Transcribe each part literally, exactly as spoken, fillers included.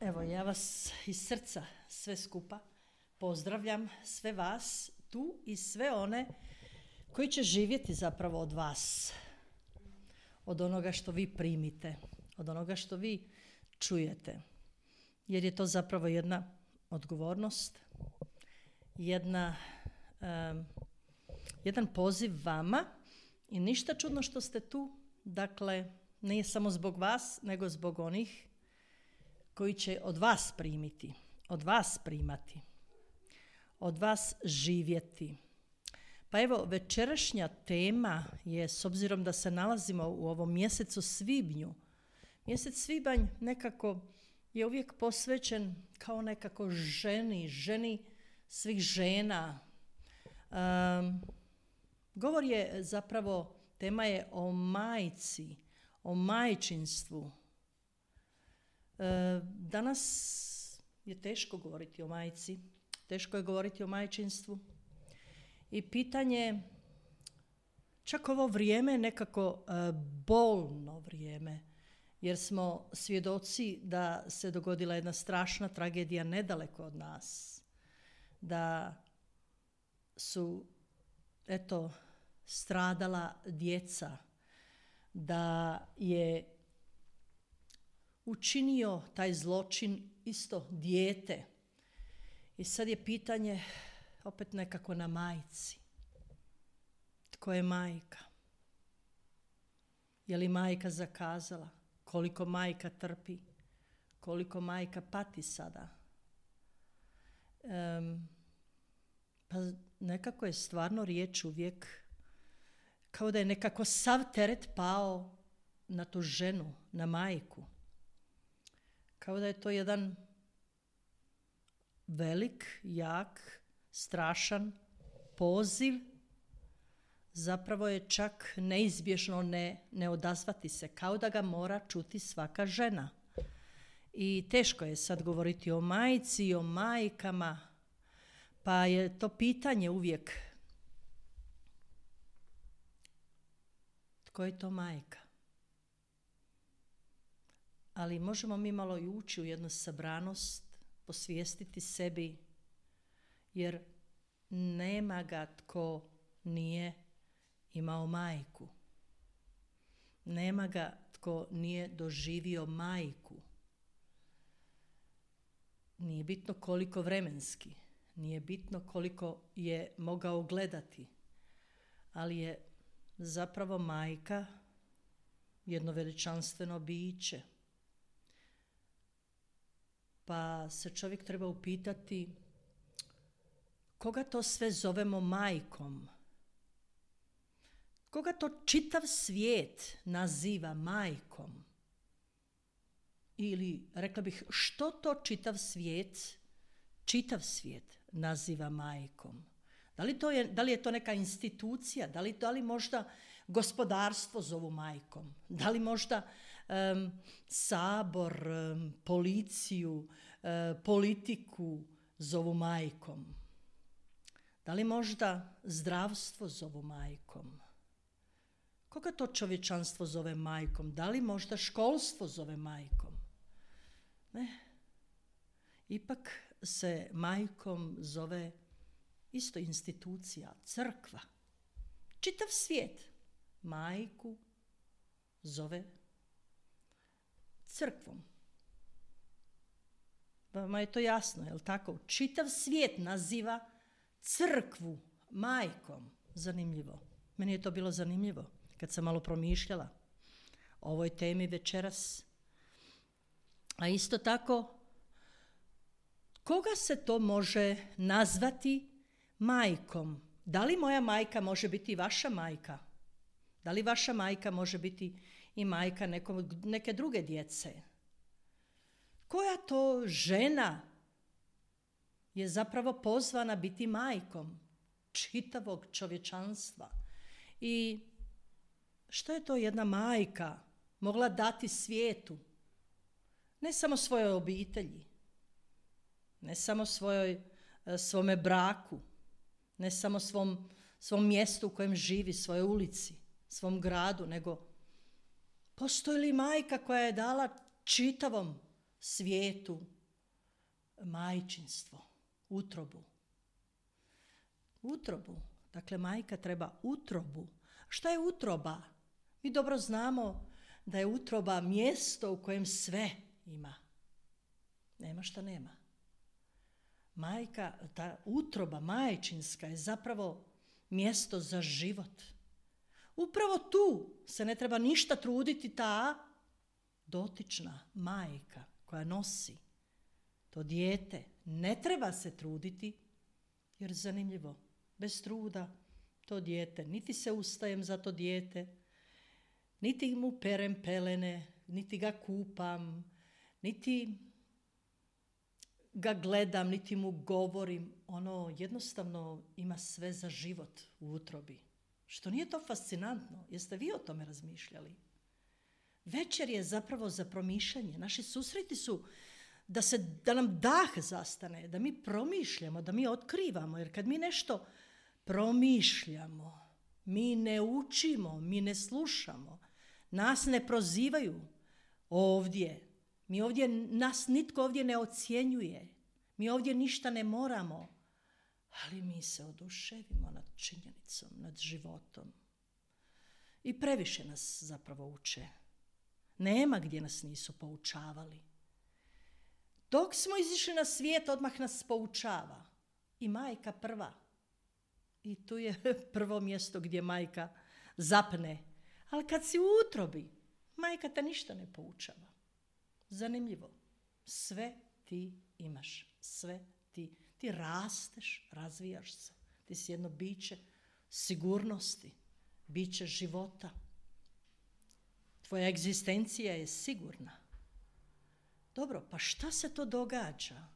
Evo, ja vas iz srca sve skupa pozdravljam, sve vas tu i sve one koji će živjeti zapravo od vas, od onoga što vi primite, od onoga što vi čujete. Jer je to zapravo jedna odgovornost, jedna, um, jedan poziv vama i ništa čudno što ste tu. Dakle, nije samo zbog vas, nego zbog onih koji će od vas primiti, od vas primati, od vas živjeti. Pa evo, večerašnja tema je, s obzirom da se nalazimo u ovom mjesecu svibnju, mjesec svibanj nekako je uvijek posvećen kao nekako ženi, ženi svih žena. Um, govor je zapravo, tema je o majci, o majčinstvu. E, danas je teško govoriti o majci, teško je govoriti o majčinstvu i pitanje, čak ovo vrijeme je nekako e, bolno vrijeme, jer smo svjedoci da se dogodila jedna strašna tragedija nedaleko od nas, da su, eto, stradala djeca, da je učinio taj zločin isto dijete. I sad je pitanje opet nekako na majci. Tko je majka? Je li majka zakazala? Koliko majka trpi? Koliko majka pati sada? Um, pa nekako je stvarno riječ uvijek kao da je nekako sav teret pao na tu ženu, na majku. Kao da je to jedan velik, jak, strašan poziv. Zapravo je čak neizbježno ne, ne odazvati se, kao da ga mora čuti svaka žena. I teško je sad govoriti o majci i o majkama, pa je to pitanje uvijek, tko je to majka? Ali možemo mi malo i ući u jednu sabranost, posvijestiti sebi, jer nema ga tko nije imao majku. Nema ga tko nije doživio majku. Nije bitno koliko vremenski, nije bitno koliko je mogao gledati, ali je zapravo majka jedno veličanstveno biće. Pa se čovjek treba upitati koga to sve zovemo majkom? Koga to čitav svijet naziva majkom? Ili, rekla bih, što to čitav svijet, čitav svijet naziva majkom? Da li, to je, da li je to neka institucija? Da li, da li možda gospodarstvo zovu majkom? Da li možda um, sabor, um, policiju, uh, politiku zovu majkom? Da li možda zdravstvo zovu majkom? Koga to čovječanstvo zove majkom? Da li možda školstvo zove majkom? Ne. Ipak se majkom zove isto institucija, crkva. Čitav svijet majku zove crkvom. Vama je to jasno, je li tako? Čitav svijet naziva crkvu majkom. Zanimljivo. Meni je to bilo zanimljivo kad sam malo promišljala o ovoj temi večeras. A isto tako, koga se to može nazvati majkom? Da li moja majka može biti i vaša majka? Da li vaša majka može biti i majka nekom, neke druge djece? Koja to žena je zapravo pozvana biti majkom čitavog čovječanstva? I što je to jedna majka mogla dati svijetu? Ne samo svojoj obitelji, ne samo svojoj, svome braku, ne samo svom, svom mjestu u kojem živi, svojoj ulici, svom gradu, nego postoji li majka koja je dala čitavom svijetu majčinstvo, utrobu. Utrobu. Dakle, majka treba utrobu. Šta je utroba? Mi dobro znamo da je utroba mjesto u kojem sve ima. Nema šta nema. Majka, ta utroba majčinska je zapravo mjesto za život. Upravo tu se ne treba ništa truditi ta dotična majka koja nosi to dijete. Ne treba se truditi, jer zanimljivo, bez truda to dijete, niti se ustajem za to dijete, niti mu perem pelene, niti ga kupam, niti ga gledam, niti mu govorim. Ono jednostavno ima sve za život u utrobi. Što nije to fascinantno? Jeste vi o tome razmišljali? Večer je zapravo za promišljanje. Naši susreti su da, se, da nam dah zastane, da mi promišljamo, da mi otkrivamo. Jer kad mi nešto promišljamo, mi ne učimo, mi ne slušamo, nas ne prozivaju ovdje. Mi ovdje, nas nitko ovdje ne ocjenjuje. Mi ovdje ništa ne moramo. Ali mi se oduševimo nad činjenicom, nad životom. I previše nas zapravo uče. Nema gdje nas nisu poučavali. Dok smo izišli na svijet, odmah nas poučava. I majka prva. I tu je prvo mjesto gdje majka zapne. Ali kad si u utrobi, majka te ništa ne poučava. Zanimljivo. Sve ti imaš. Sve ti. Ti rasteš, razvijaš se. Ti si jedno biće sigurnosti, biće života. Tvoja egzistencija je sigurna. Dobro, pa šta se to događa?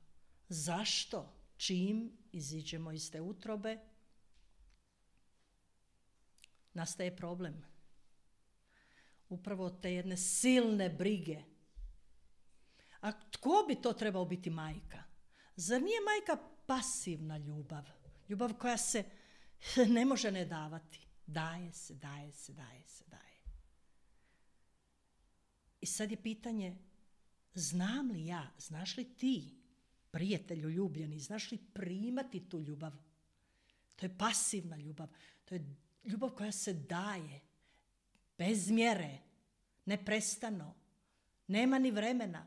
Zašto? Čim iziđemo iz te utrobe, nastaje problem. Upravo te jedne silne brige. A tko bi to trebao biti majka? Zar nije majka pasivna ljubav? Ljubav koja se ne može ne davati. Daje se, daje se, daje se, daje. I sad je pitanje, znam li ja, znaš li ti, prijatelju ljubljeni, znaš li primati tu ljubav? To je pasivna ljubav. To je ljubav koja se daje. Bez mjere. Neprestano. Nema ni vremena.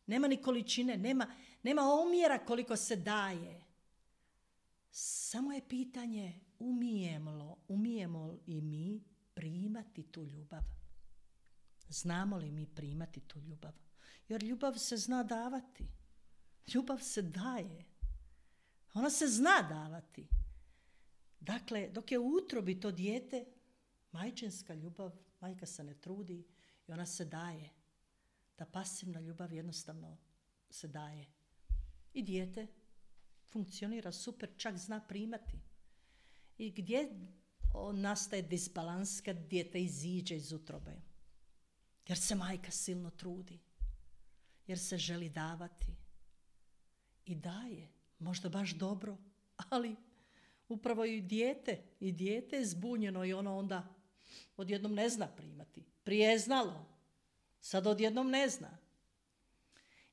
Nema ni količine. Nema, nema omjera koliko se daje. Samo je pitanje umijemo, umijemo li mi primati tu ljubav? Znamo li mi primati tu ljubav? Jer ljubav se zna davati. Ljubav se daje. Ona se zna davati. Dakle, dok je u utrobi to dijete, majčinska ljubav, majka se ne trudi i ona se daje. Ta pasivna ljubav jednostavno se daje. I dijete funkcionira super, čak zna primati. I gdje nastaje disbalans kad dijete iziđe iz utrobe? Jer se majka silno trudi. Jer se želi davati. I daje. Možda baš dobro, ali upravo i dijete, i dijete je zbunjeno i ono onda odjednom ne zna primati. Prije je znalo, sad odjednom ne zna.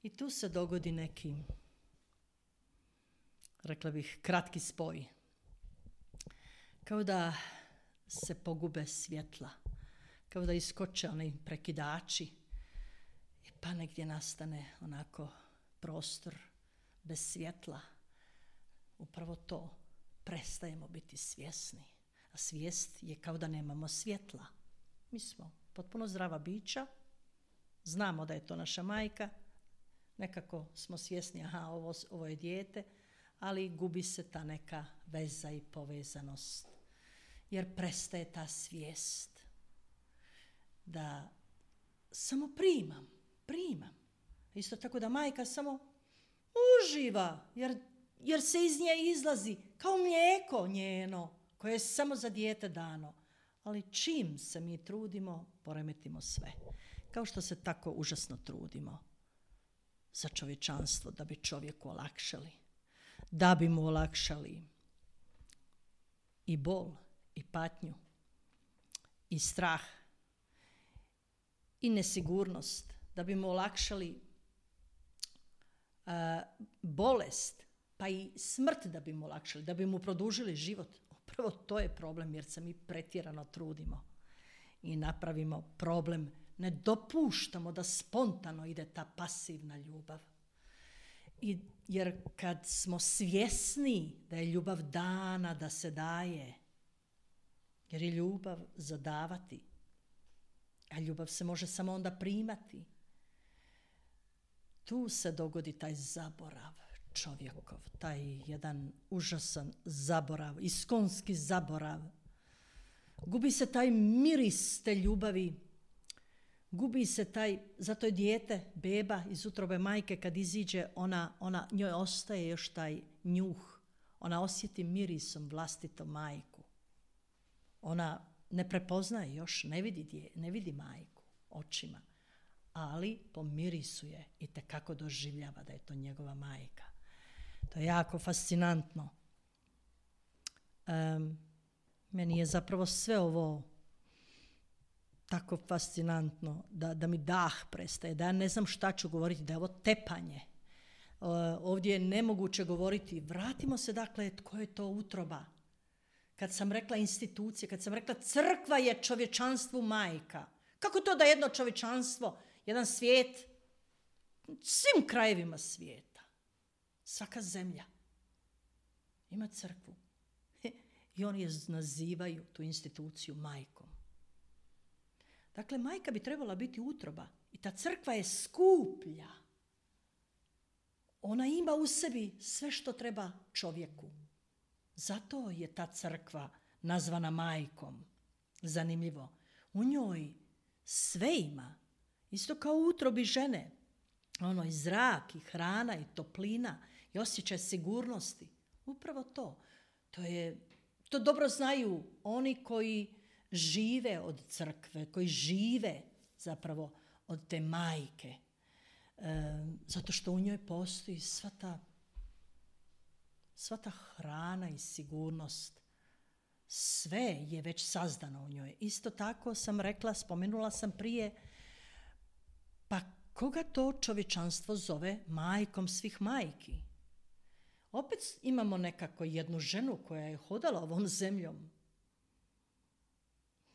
I tu se dogodi neki, rekla bih, kratki spoj. Kao da se pogube svjetla, kao da iskoče oni prekidači, pa negdje nastane onako prostor bez svjetla. Upravo to, prestajemo biti svjesni. A svijest je kao da nemamo svjetla. Mi smo potpuno zdrava bića, znamo da je to naša majka, nekako smo svjesni, aha, ovo, ovo je dijete, ali gubi se ta neka veza i povezanost. Jer prestaje ta svijest da samo primam, primam. Isto tako da majka samo uživa, jer, jer se iz nje izlazi kao mlijeko njeno, koje je samo za dijete dano. Ali čim se mi trudimo, poremetimo sve. Kao što se tako užasno trudimo za čovječanstvo, da bi čovjeku olakšali. Da bi mu olakšali i bol, i patnju, i strah, i nesigurnost. Da bi mu olakšali bolest, pa i smrt da bi mu olakšali, da bi mu produžili život. Upravo to je problem jer se mi pretjerano trudimo i napravimo problem. Ne dopuštamo da spontano ide ta pasivna ljubav. I, jer kad smo svjesni da je ljubav dana, da se daje, jer je ljubav za davati, a ljubav se može samo onda primati, tu se dogodi taj zaborav čovjekov, taj jedan užasan zaborav, iskonski zaborav. Gubi se taj miris te ljubavi, gubi se taj, zato je dijete, beba iz utrobe majke, kad iziđe, ona, ona, njoj ostaje još taj njuh. Ona osjeti mirisom vlastitu majku. Ona ne prepoznaje još, ne vidi, dje, ne vidi majku očima, ali po mirisu je itekako doživljava da je to njegova majka. To je jako fascinantno. Um, meni je zapravo sve ovo tako fascinantno da, da mi dah prestaje, da ja ne znam šta ću govoriti, da je ovo tepanje. Uh, ovdje je nemoguće govoriti. Vratimo se dakle, tko je to utroba. Kad sam rekla institucije, kad sam rekla crkva je čovječanstvu majka. Kako to da jedno čovječanstvo, jedan svijet, svim krajevima svijeta, svaka zemlja ima crkvu. I oni je nazivaju tu instituciju majkom. Dakle, majka bi trebala biti utroba i ta crkva je skuplja. Ona ima u sebi sve što treba čovjeku. Zato je ta crkva nazvana majkom. Zanimljivo. U njoj sve ima. Isto kao u utrobi žene. Ono i zrak, i hrana, i toplina, i osjećaj sigurnosti. Upravo to. To je, to dobro znaju oni koji žive od crkve, koji žive zapravo od te majke. E, zato što u njoj postoji sva ta, sva ta hrana i sigurnost. Sve je već sazdano u njoj. Isto tako sam rekla, spomenula sam prije, pa koga to čovječanstvo zove majkom svih majki? Opet imamo nekako jednu ženu koja je hodala ovom zemljom.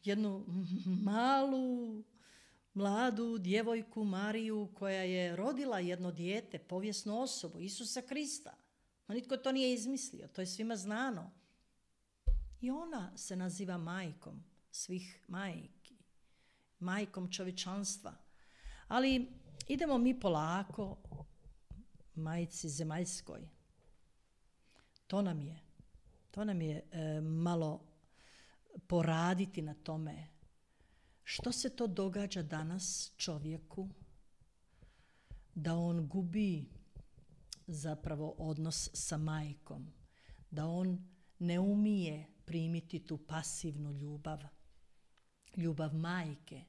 Jednu malu, mladu djevojku Mariju koja je rodila jedno dijete, povijesnu osobu, Isusa Krista. Ma nitko to nije izmislio, to je svima znano. I ona se naziva majkom svih majki, majkom čovječanstva. Ali idemo mi polako majci zemaljskoj. To nam je, to nam je e, malo poraditi na tome. Što se to događa danas čovjeku da on gubi zapravo odnos sa majkom, da on ne umije primiti tu pasivnu ljubav, ljubav majke.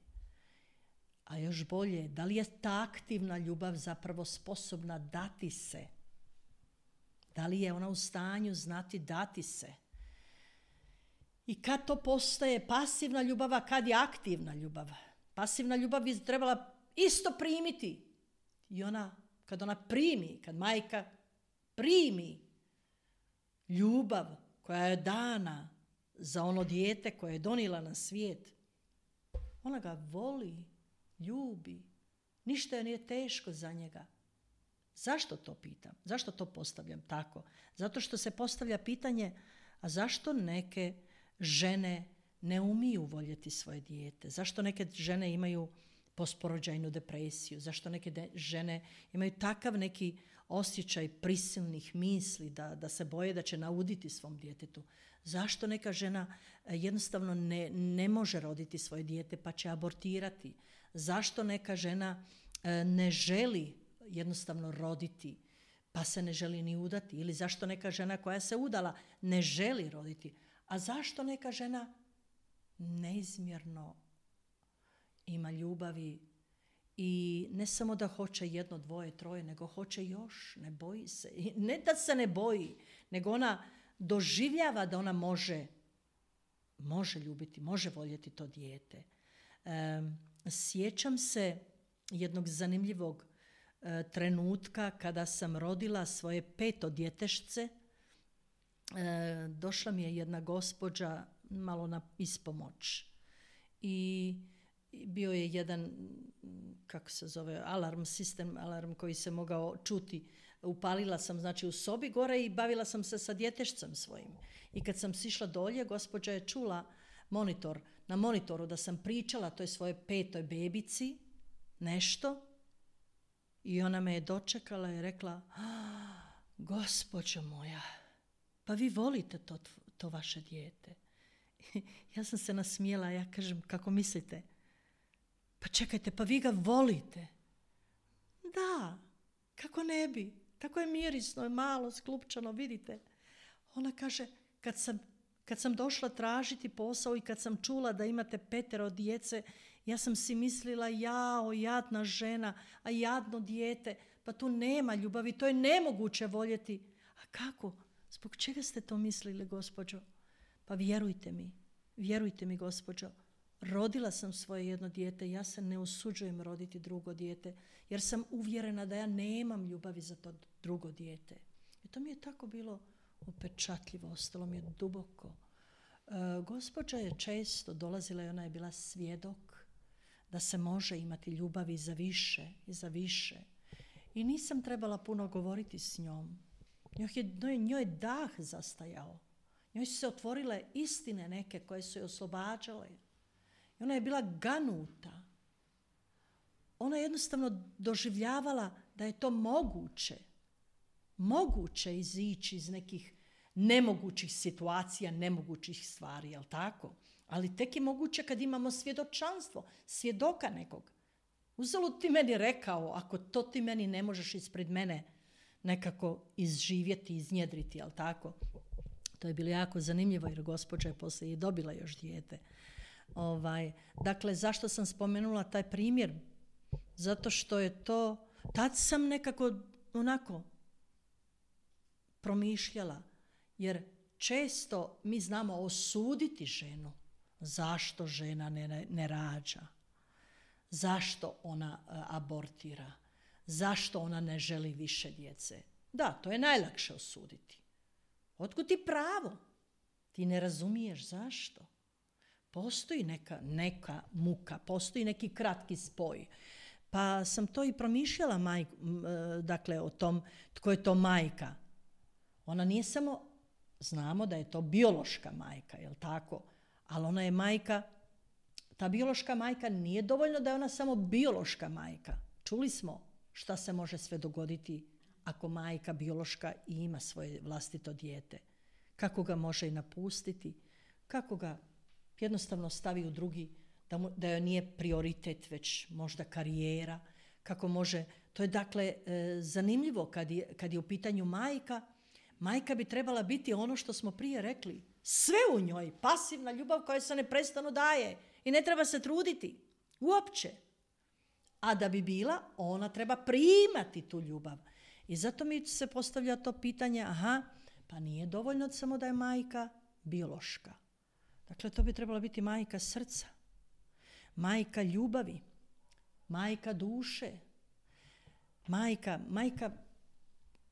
A još bolje, da li je ta aktivna ljubav zapravo sposobna dati se? Da li je ona u stanju znati dati se? I kad to postaje pasivna ljubav, a kad je aktivna ljubav? Pasivna ljubav bi trebala isto primiti. I ona, kad ona primi, kad majka primi ljubav koja je dana za ono dijete koje je donijela na svijet, ona ga voli, ljubi. Ništa joj nije teško za njega. Zašto to pitam? Zašto to postavljam tako? Zato što se postavlja pitanje, a zašto neke žene ne umiju voljeti svoje dijete? Zašto neke žene imaju posporođajnu depresiju? Zašto neke de- žene imaju takav neki osjećaj prisilnih misli da, da se boje da će nauditi svom djetetu? Zašto neka žena jednostavno ne, ne može roditi svoje dijete pa će abortirati? Zašto neka žena e, ne želi jednostavno roditi pa se ne želi ni udati? Ili zašto neka žena koja se udala ne želi roditi? A zašto neka žena neizmjerno ima ljubavi i ne samo da hoće jedno, dvoje, troje, nego hoće još, ne boji se. I ne da se ne boji, nego ona doživljava da ona može, može ljubiti, može voljeti to dijete. E, sjećam se jednog zanimljivog e, trenutka kada sam rodila svoje peto djetešce, e, došla mi je jedna gospođa malo na ispomoć i bio je jedan, kako se zove, alarm sistem, alarm koji se mogao čuti. Upalila sam znači u sobi gore i bavila sam se sa djetešcem svojim. I kad sam sišla dolje, gospođa je čula monitor, na monitoru da sam pričala toj svoje petoj bebici nešto i ona me je dočekala i rekla: gospođo moja, pa vi volite to, to vaše dijete. Ja sam se nasmijela, ja kažem: kako mislite? Pa čekajte, pa vi ga volite? Da, kako ne bi? Tako je mirisno, malo, sklupčano, vidite. Ona kaže: kad sam, kad sam došla tražiti posao i kad sam čula da imate petero djece, ja sam si mislila: jao, jadna žena, a jadno dijete, pa tu nema ljubavi, to je nemoguće voljeti. A kako? Zbog čega ste to mislili, gospođo? Pa vjerujte mi, vjerujte mi, gospođo, rodila sam svoje jedno dijete, ja se ne usuđujem roditi drugo dijete, jer sam uvjerena da ja nemam ljubavi za to drugo dijete. I to mi je tako bilo upečatljivo, ostalo mi je duboko. E, gospođa je često dolazila i ona je bila svjedok da se može imati ljubavi za više i za više. I nisam trebala puno govoriti s njom. Njoj je, njoj je dah zastajao. Njoj su se otvorile istine neke koje su je oslobađale. I ona je bila ganuta. Ona je jednostavno doživljavala da je to moguće. Moguće izići iz nekih nemogućih situacija, nemogućih stvari, jel tako? Ali tek je moguće kad imamo svjedočanstvo, svjedoka nekog. Uzalud ti meni rekao, ako to ti meni ne možeš ispred mene nekako izživjeti, iznjedriti, jel tako? To je bilo jako zanimljivo jer gospođa je poslije i dobila još dijete. Ovaj, dakle, zašto sam spomenula taj primjer? Zato što je to, tad sam nekako onako promišljala, jer često mi znamo osuditi ženu. Zašto žena ne, ne rađa? Zašto ona uh, abortira? Zašto ona ne želi više djece? Da, to je najlakše osuditi. Otkud ti pravo? Ti ne razumiješ zašto? Postoji neka, neka muka, postoji neki kratki spoj. Pa sam to i promišljala maj, dakle, o tom tko je to majka. Ona nije samo, znamo da je to biološka majka, jel tako? Ali ona je majka, ta biološka majka nije dovoljno da je ona samo biološka majka. Čuli smo šta se može sve dogoditi ako majka biološka i ima svoje vlastito dijete. Kako ga može i napustiti, kako ga jednostavno stavi u drugi, da, mu, da joj nije prioritet, već možda karijera, kako može, to je dakle e, zanimljivo kad je, kad je u pitanju majka. Majka bi trebala biti ono što smo prije rekli, sve u njoj, pasivna ljubav koja se neprestano daje i ne treba se truditi, uopće. A da bi bila, ona treba primati tu ljubav. I zato mi se postavlja to pitanje, aha, pa nije dovoljno samo da je majka biološka. Dakle, to bi trebala biti majka srca, majka ljubavi, majka duše, majka, majka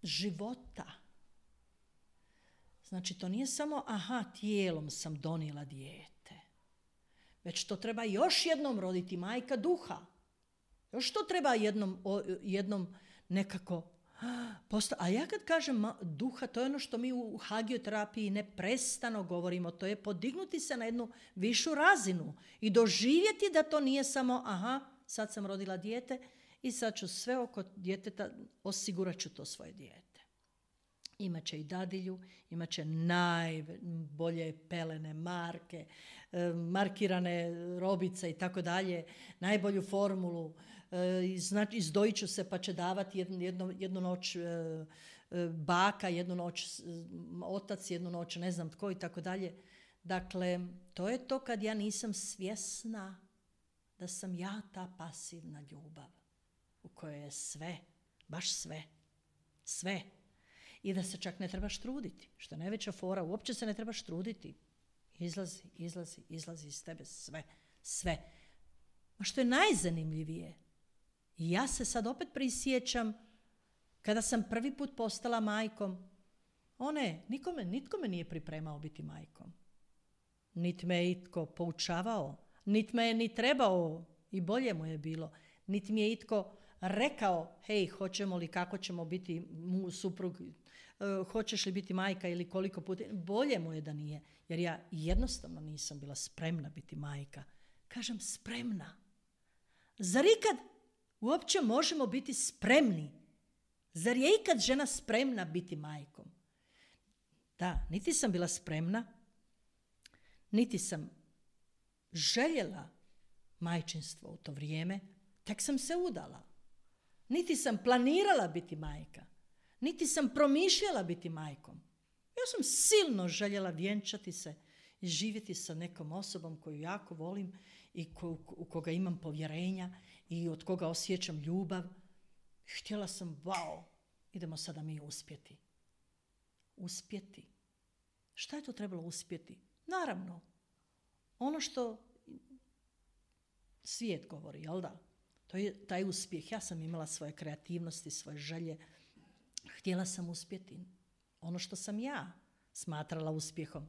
života. Znači, to nije samo, aha, tijelom sam donijela dijete, već to treba još jednom roditi, majka duha. Još to treba jednom, jednom nekako posta- A ja kad kažem duha, to je ono što mi u hagioterapiji neprestano govorimo, to je podignuti se na jednu višu razinu i doživjeti da to nije samo, aha, sad sam rodila dijete i sad ću sve oko djeteta, osigurat ću to svoje dijete. Imaće i dadilju, imaće najbolje pelene marke, markirane robice i tako dalje, najbolju formulu, znači izdojit ću se pa će davati jednu, jednu, jednu noć baka, jednu noć otac, jednu noć ne znam tko i tako dalje. Dakle, to je to kad ja nisam svjesna da sam ja ta pasivna ljubav u kojoj je sve, baš sve, sve. I da se čak ne trebaš truditi, što je najveća fora, uopće se ne trebaš truditi. Izlazi, izlazi, izlazi iz tebe sve, sve. A što je najzanimljivije, I ja se sad opet prisjećam kada sam prvi put postala majkom. One, nikome, nitko me nije pripremao biti majkom. Niti me je itko poučavao, niti me je ni trebao i bolje mu je bilo. Niti mi je itko rekao, hej, hoćemo li, kako ćemo biti mu suprug, uh, hoćeš li biti majka ili koliko puta. Bolje mu je da nije, jer ja jednostavno nisam bila spremna biti majka. Kažem spremna. Zar ikad uopće možemo biti spremni? Zar je ikad žena spremna biti majkom? Da, niti sam bila spremna, niti sam željela majčinstvo u to vrijeme, tek sam se udala. Niti sam planirala biti majka, niti sam promišljala biti majkom. Ja sam silno željela vjenčati se i živjeti sa nekom osobom koju jako volim i ko, u koga imam povjerenja i od koga osjećam ljubav. Htjela sam, wow, idemo sada mi uspjeti. Uspjeti. Šta je to trebalo uspjeti? Naravno, ono što svijet govori, jel da? To je taj uspjeh. Ja sam imala svoje kreativnosti, svoje želje. Htjela sam uspjeti. Ono što sam ja smatrala uspjehom.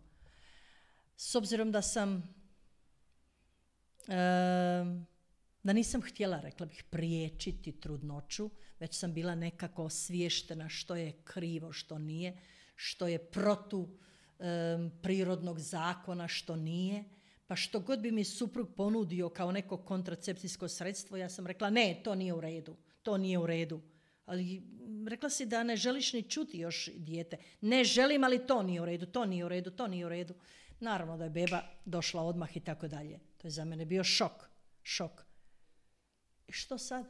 S obzirom da sam, e, da nisam htjela, rekla bih, priječiti trudnoću, već sam bila nekako osviještena što je krivo, što nije, što je protu e, prirodnog zakona, što nije. Pa što god bi mi suprug ponudio kao neko kontracepcijsko sredstvo, ja sam rekla ne, to nije u redu, to nije u redu. Ali rekla si da ne želiš ni čuti još dijete. Ne želim, ali to nije u redu, to nije u redu, to nije u redu. Naravno da je beba došla odmah i tako dalje. To je za mene bio šok, šok. I što sad?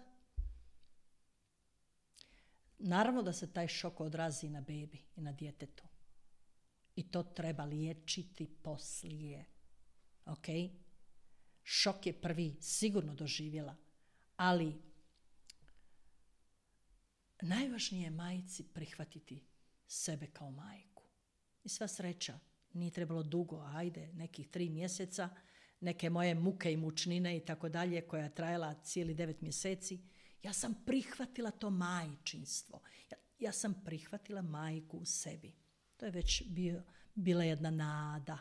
Naravno da se taj šok odrazi na bebi i na djetetu. I to treba liječiti poslije. Ok? Šok je prvi sigurno doživjela, ali najvažnije je majci prihvatiti sebe kao majku. I sva sreća, nije trebalo dugo, ajde, nekih tri mjeseca, neke moje muke i mučnine i tako dalje, koja je trajala cijeli devet mjeseci. Ja sam prihvatila to majčinstvo. Ja, ja sam prihvatila majku u sebi. To je već bio, bila jedna nada.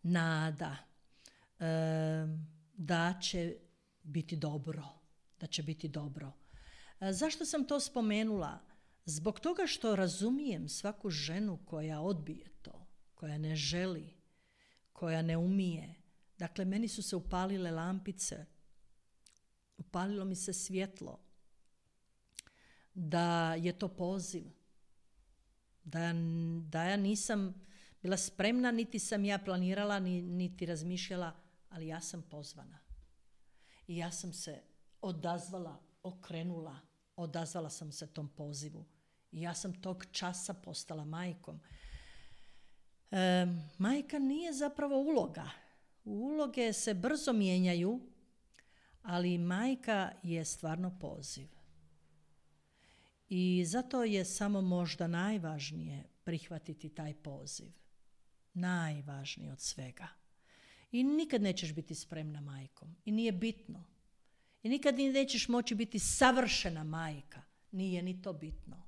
Nada e, da će biti dobro, da će biti dobro. E, zašto sam to spomenula? Zbog toga što razumijem svaku ženu koja odbije to, koja ne želi, koja ne umije. Dakle, meni su se upalile lampice, upalilo mi se svjetlo, da je to poziv, da, da ja nisam bila spremna, niti sam ja planirala, niti razmišljala, ali ja sam pozvana. I ja sam se odazvala, okrenula, odazvala sam se tom pozivu. I ja sam tog časa postala majkom. E, majka nije zapravo uloga. Uloge se brzo mijenjaju, ali majka je stvarno poziv. I zato je samo možda najvažnije prihvatiti taj poziv. Najvažnije od svega. I nikad nećeš biti spremna majkom. I nije bitno. I nikad nećeš moći biti savršena majka. Nije ni to bitno.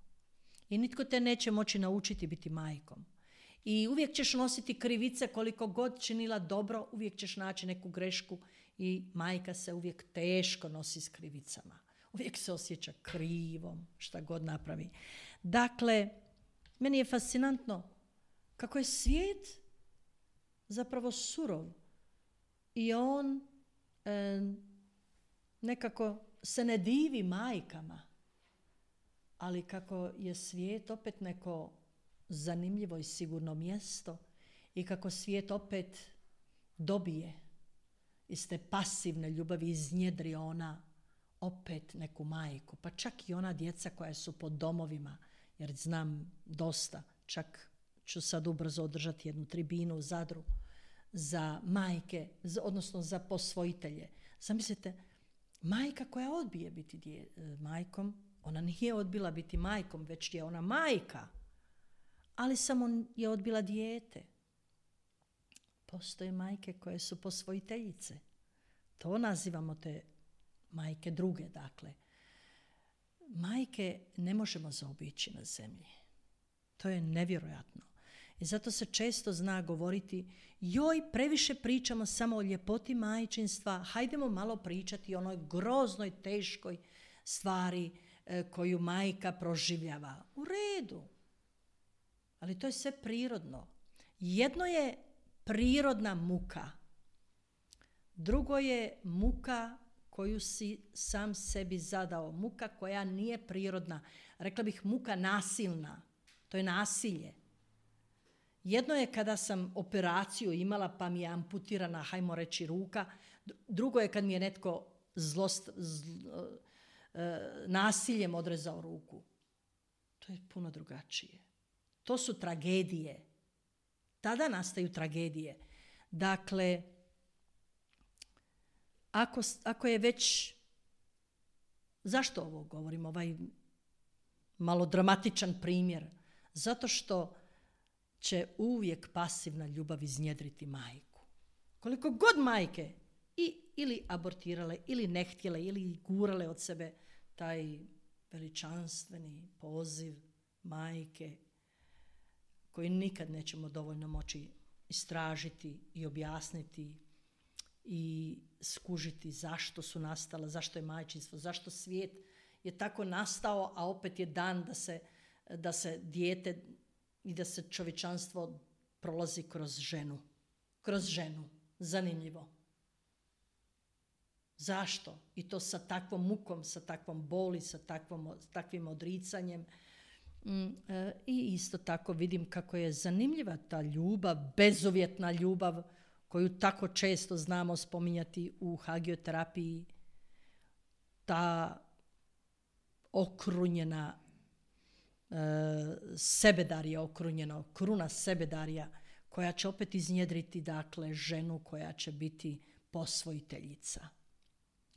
I nitko te neće moći naučiti biti majkom. I uvijek ćeš nositi krivice koliko god činila dobro, uvijek ćeš naći neku grešku i majka se uvijek teško nosi s krivicama. Uvijek se osjeća krivom, šta god napravi. Dakle, meni je fascinantno kako je svijet zapravo surov i on e, nekako se ne divi majkama, ali kako je svijet opet neko zanimljivo i sigurno mjesto i kako svijet opet dobije iz te pasivne ljubavi, iznjedri ona opet neku majku, pa čak i ona djeca koja su po domovima, jer znam dosta, čak ću sad ubrzo održati jednu tribinu u Zadru za majke, odnosno za posvojitelje. Zamislite, majka koja odbije biti dje, majkom, ona nije odbila biti majkom, već je ona majka, ali samo je odbila dijete. Postoje majke koje su posvojiteljice. To nazivamo te majke druge, dakle. Majke ne možemo zaobići na zemlji. To je nevjerojatno. I zato se često zna govoriti, joj, previše pričamo samo o ljepoti majčinstva, hajdemo malo pričati o onoj groznoj, teškoj stvari e, koju majka proživljava. U redu. Ali to je sve prirodno. Jedno je prirodna muka. Drugo je muka koju si sam sebi zadao. Muka koja nije prirodna. Rekla bih muka nasilna. To je nasilje. Jedno je kada sam operaciju imala pa mi je amputirana, hajmo reći, ruka. Drugo je kad mi je netko zlost, zl, e, nasiljem odrezao ruku. To je puno drugačije. To su tragedije. Tada nastaju tragedije. Dakle, ako, ako je već... Zašto ovo govorim? Ovaj malo dramatičan primjer. Zato što će uvijek pasivna ljubav iznjedriti majku. Koliko god majke i, ili abortirale, ili ne htjele, ili gurale od sebe taj veličanstveni poziv majke koji nikad nećemo dovoljno moći istražiti i objasniti i skužiti zašto su nastala, zašto je majčinstvo, zašto svijet je tako nastao, a opet je dan da se, da se dijete i da se čovječanstvo prolazi kroz ženu. Kroz ženu. Zanimljivo. Zašto? I to sa takvom mukom, sa takvom boli, sa takvom, takvim odricanjem. Mm, e, I isto tako vidim kako je zanimljiva ta ljubav, bezuvjetna ljubav koju tako često znamo spominjati u hagioterapiji. Ta okrunjena sebedarija, okrunjeno, kruna sebedarija koja će opet iznjedriti, dakle, ženu koja će biti posvojiteljica.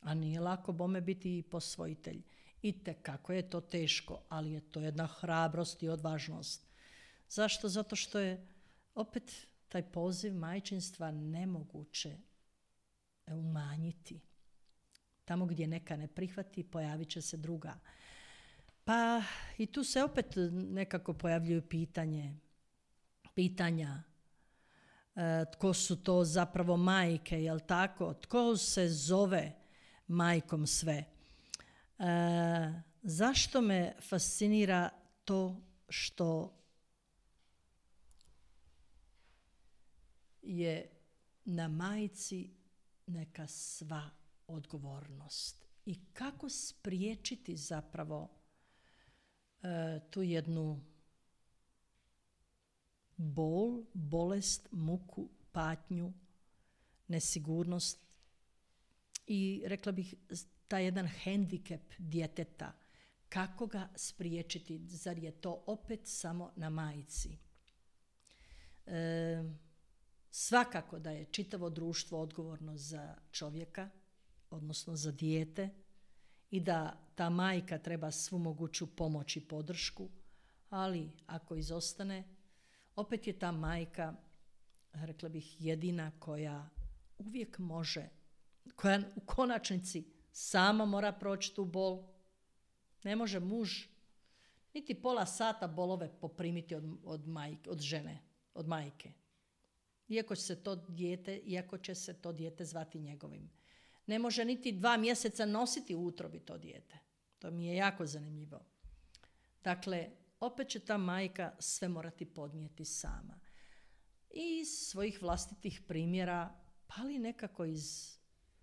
A nije lako bome biti i posvojitelj. I tekako je to teško, ali je to jedna hrabrost i odvažnost. Zašto? Zato što je opet taj poziv majčinstva nemoguće umanjiti. Tamo gdje neka ne prihvati, pojavit će se druga. Pa i tu se opet nekako pojavljuju pitanje, pitanja e, tko su to zapravo majke, jel tako? Tko se zove majkom sve? E, zašto me fascinira to što je na majci neka sva odgovornost i kako spriječiti zapravo e, tu jednu bol, bolest, muku, patnju, nesigurnost i rekla bih taj jedan hendikep djeteta. Kako ga spriječiti? Zar je to opet samo na majci? E, svakako da je čitavo društvo odgovorno za čovjeka, odnosno za dijete, i da ta majka treba svu moguću pomoć i podršku, ali ako izostane, opet je ta majka, rekla bih, jedina koja uvijek može, koja u konačnici sama mora proći tu bol. Ne može muž niti pola sata bolove poprimiti od, od, majke, od žene, od majke. Iako će se to dijete, iako će se to dijete zvati njegovim. Ne može niti dva mjeseca nositi u utrobi to dijete. To mi je jako zanimljivo. Dakle, opet će ta majka sve morati podnijeti sama. I iz svojih vlastitih primjera, pa ali nekako iz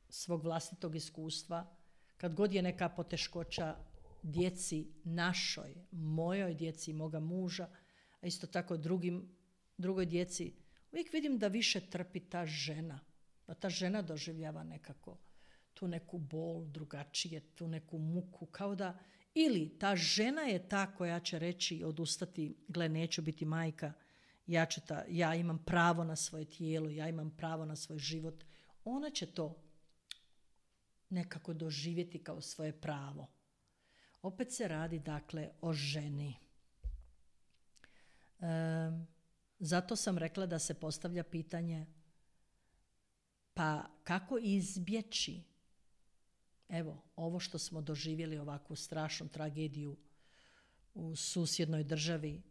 svog vlastitog iskustva, kad god je neka poteškoća djeci našoj, mojoj djeci, moga muža, a isto tako drugim, drugoj djeci, uvijek vidim da više trpi ta žena. Da ta žena doživljava nekako tu neku bol drugačije, tu neku muku, kao da ili ta žena je ta koja će reći, odustati, gle, neću biti majka, ja, ću ta, ja imam pravo na svoje tijelo, ja imam pravo na svoj život. Ona će to nekako doživjeti kao svoje pravo. Opet se radi, dakle, o ženi. E, zato sam rekla da se postavlja pitanje, pa kako izbjeći evo, ovo što smo doživjeli, ovakvu strašnu tragediju u susjednoj državi,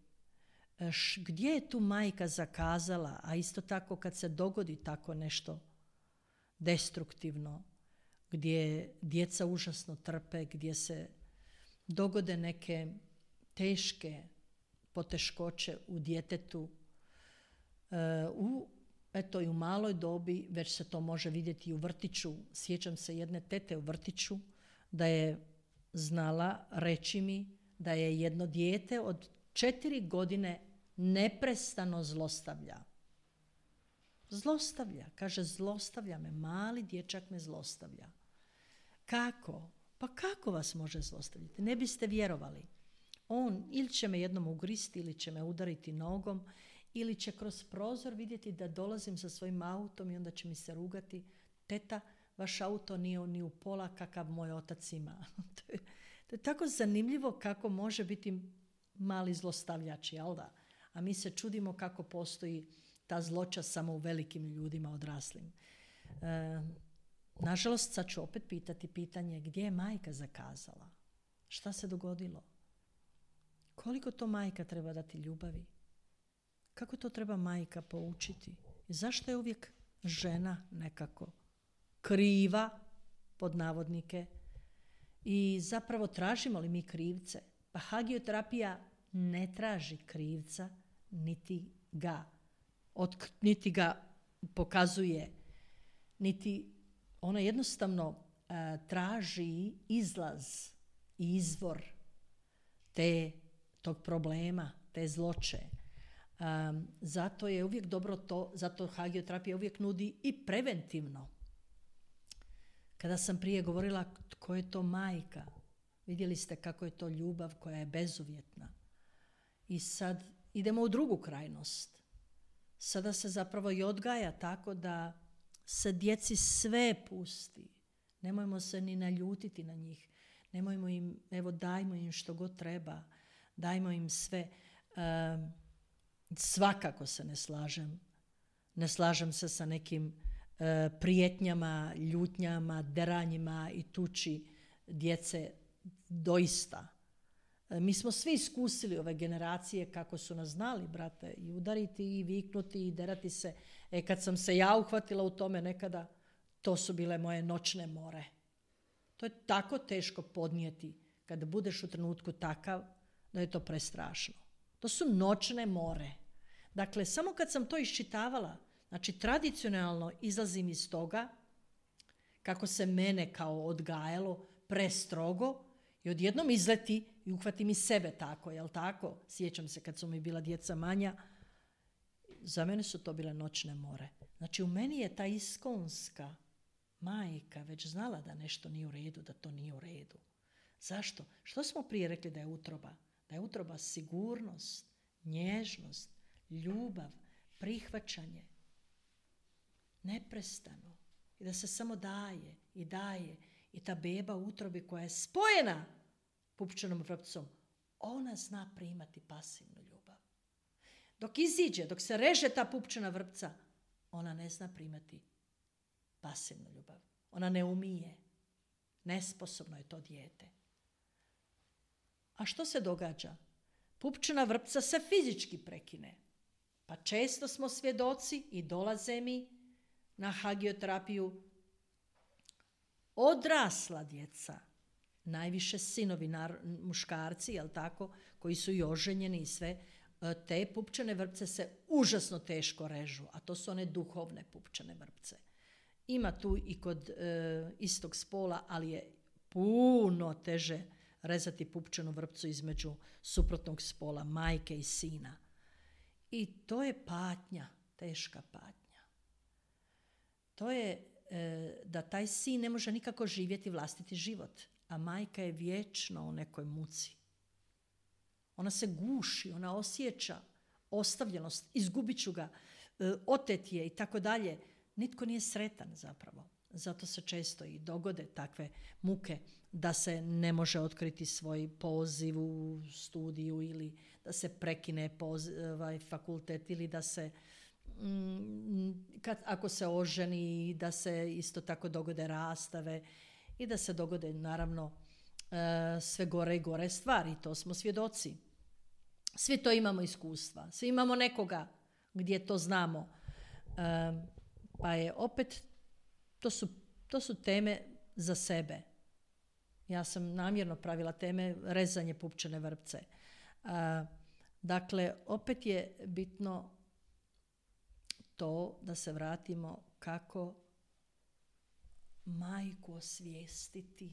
š, gdje je tu majka zakazala, a isto tako kad se dogodi tako nešto destruktivno, gdje djeca užasno trpe, gdje se dogode neke teške poteškoće u djetetu, e, u, eto i u maloj dobi, već se to može vidjeti i u vrtiću. Sjećam se jedne tete u vrtiću da je znala reći mi da je jedno dijete od četiri godine neprestano zlostavlja. Zlostavlja, kaže zlostavlja me, mali dječak me zlostavlja. Kako? Pa kako vas može zlostavljati? Ne biste vjerovali. On ili će me jednom ugristi, ili će me udariti nogom, ili će kroz prozor vidjeti da dolazim sa svojim autom i onda će mi se rugati. Teta, vaš auto nije ni u pola kakav moj otac ima. to, je, to je tako zanimljivo kako može biti mali zlostavljač, jel da? A mi se čudimo kako postoji ta zloća samo u velikim ljudima odraslim. E, nažalost, sad ću opet pitati pitanje gdje je majka zakazala? Šta se dogodilo? Koliko to majka treba dati ljubavi? Kako to treba majka poučiti? I zašto je uvijek žena nekako kriva, pod navodnike, i zapravo tražimo li mi krivce? Pa hagioterapija ne traži krivca, niti ga, od, niti ga pokazuje, niti ona jednostavno uh, traži izlaz i izvor te, tog problema, te zloće. Um, zato je uvijek dobro to, zato hagioterapija uvijek nudi i preventivno. Kada sam prije govorila tko je to majka, vidjeli ste kako je to ljubav koja je bezuvjetna. I sad idemo u drugu krajnost. Sada se zapravo i odgaja tako da se djeci sve pusti. Nemojmo se ni naljutiti na njih. Nemojmo im, evo dajmo im što god treba. Dajmo im sve. Um, svakako se ne slažem. Ne slažem se sa nekim uh, prijetnjama, ljutnjama, deranjima i tuči djece doista. Mi smo svi iskusili ove generacije kako su nas znali, brate, i udariti i viknuti i derati se. E kad sam se ja uhvatila u tome nekada, to su bile moje noćne more. To je tako teško podnijeti kada budeš u trenutku takav da je to prestrašno. To su noćne more. Dakle, samo kad sam to iščitavala, znači tradicionalno izlazim iz toga kako se mene kao odgajalo prestrogo i odjednom izleti i uhvatim i sebe tako, jel tako? Sjećam se kad su mi bila djeca manja, za mene su to bile noćne more. Znači u meni je ta iskonska majka već znala da nešto nije u redu, da to nije u redu. Zašto? Što smo prije rekli da je utroba? Da je utroba sigurnost, nježnost, ljubav, prihvaćanje, neprestano. I da se samo daje i daje. I ta beba u utrobi koja je spojena pupčanom vrpcom, ona zna primati pasivnu ljubav. Dok iziđe, dok se reže ta pupčana vrpca, ona ne zna primati pasivnu ljubav. Ona ne umije. Nesposobno je to dijete. A što se događa? Pupčana vrpca se fizički prekine. Pa često smo svjedoci i dolaze mi na hagioterapiju odrasla djeca, najviše sinovi, muškarci, jel tako, koji su i oženjeni i sve, te pupčane vrpce se užasno teško režu, a to su one duhovne pupčane vrpce. Ima tu i kod e, istog spola, ali je puno teže rezati pupčanu vrpcu između suprotnog spola, majke i sina. I to je patnja, teška patnja. To je e, da taj sin ne može nikako živjeti vlastiti život, a majka je vječno u nekoj muci. Ona se guši, ona osjeća ostavljenost, izgubit ću ga, e, otet je i tako dalje. Nitko nije sretan zapravo. Zato se često i dogode takve muke da se ne može otkriti svoj poziv u studiju ili da se prekine poziv, ovaj, fakultet ili da se, mm, kad, ako se oženi, da se isto tako dogode rastave i da se dogode naravno e, sve gore i gore stvari. To smo svjedoci. Svi to imamo iskustva. Svi imamo nekoga gdje to znamo. E, pa je opet, to su, to su teme za sebe. Ja sam namjerno pravila teme rezanje pupčane vrpce. E, dakle, opet je bitno to da se vratimo kako majku osvijestiti.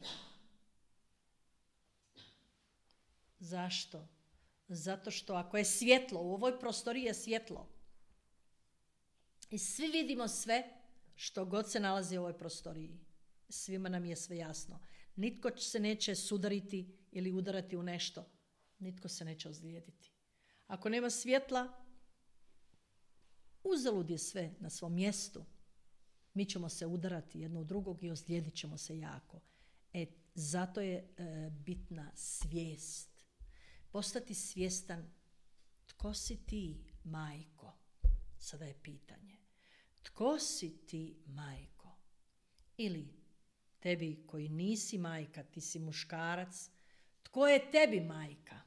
Zašto? Zato što ako je svjetlo, u ovoj prostoriji je svjetlo. I svi vidimo sve što god se nalazi u ovoj prostoriji. Svima nam je sve jasno. Nitko se neće sudariti ili udarati u nešto. Nitko se neće ozlijediti. Ako nema svjetla, uzalud je sve na svom mjestu. Mi ćemo se udarati jedno u drugog i ozlijedit ćemo se jako. E, zato je e, bitna svijest. Postati svjestan tko si ti, majko. Sada je pitanje. Tko si ti, majko? Ili tebi koji nisi majka, ti si muškarac, tko je tebi majka?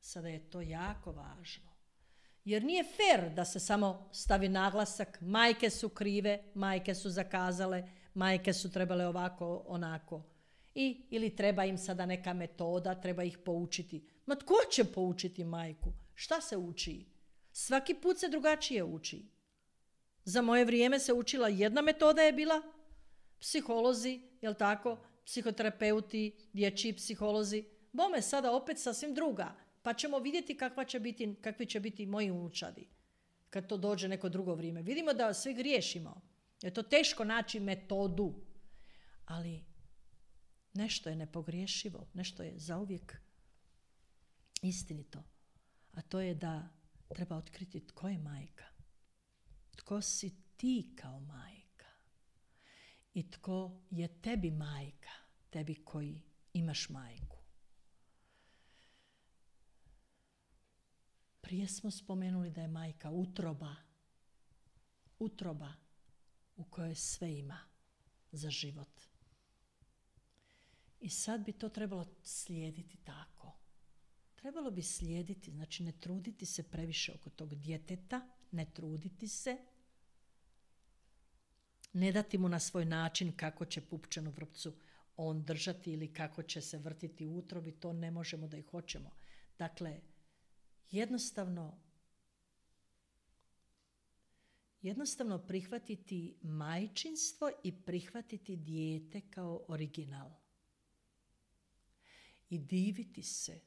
Sada je to jako važno. Jer nije fer da se samo stavi naglasak, majke su krive, majke su zakazale, majke su trebale ovako, onako. I, ili treba im sada neka metoda, treba ih poučiti. Ma tko će poučiti majku? Šta se uči? Svaki put se drugačije uči. Za moje vrijeme se učila jedna metoda je bila, psiholozi, jel tako, psihoterapeuti, dječji psiholozi. Bome sada opet sasvim druga. Pa ćemo vidjeti kakva će biti, kakvi će biti moji unučadi kad to dođe neko drugo vrijeme. Vidimo da svi griješimo. Je to teško naći metodu. Ali nešto je nepogriješivo. Nešto je zauvijek istinito. A to je da treba otkriti tko je majka. Tko si ti kao majka. I tko je tebi majka. Tebi koji imaš majku. Prije smo spomenuli da je majka utroba, utroba u kojoj sve ima za život. I sad bi to trebalo slijediti tako. Trebalo bi slijediti, znači ne truditi se previše oko tog djeteta, ne truditi se, ne dati mu na svoj način kako će pupčanu vrpcu on držati ili kako će se vrtiti u utrobi, to ne možemo da ih hoćemo. Dakle, Jednostavno, jednostavno prihvatiti majčinstvo i prihvatiti dijete kao original. I diviti se,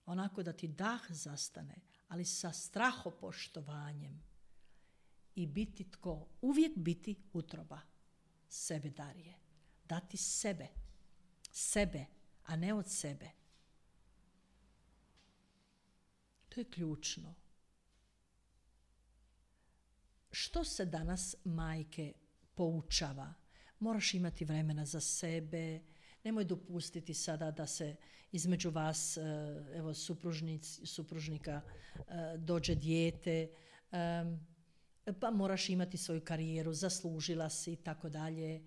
onako da ti dah zastane, ali sa strahopoštovanjem. I biti tko? Uvijek biti utroba sebe Darije. Dati sebe, sebe, a ne od sebe. To je ključno. Što se danas majke poučava? Moraš imati vremena za sebe, nemoj dopustiti sada da se između vas, evo, supružnika dođe dijete, pa moraš imati svoju karijeru, zaslužila si i tako dalje.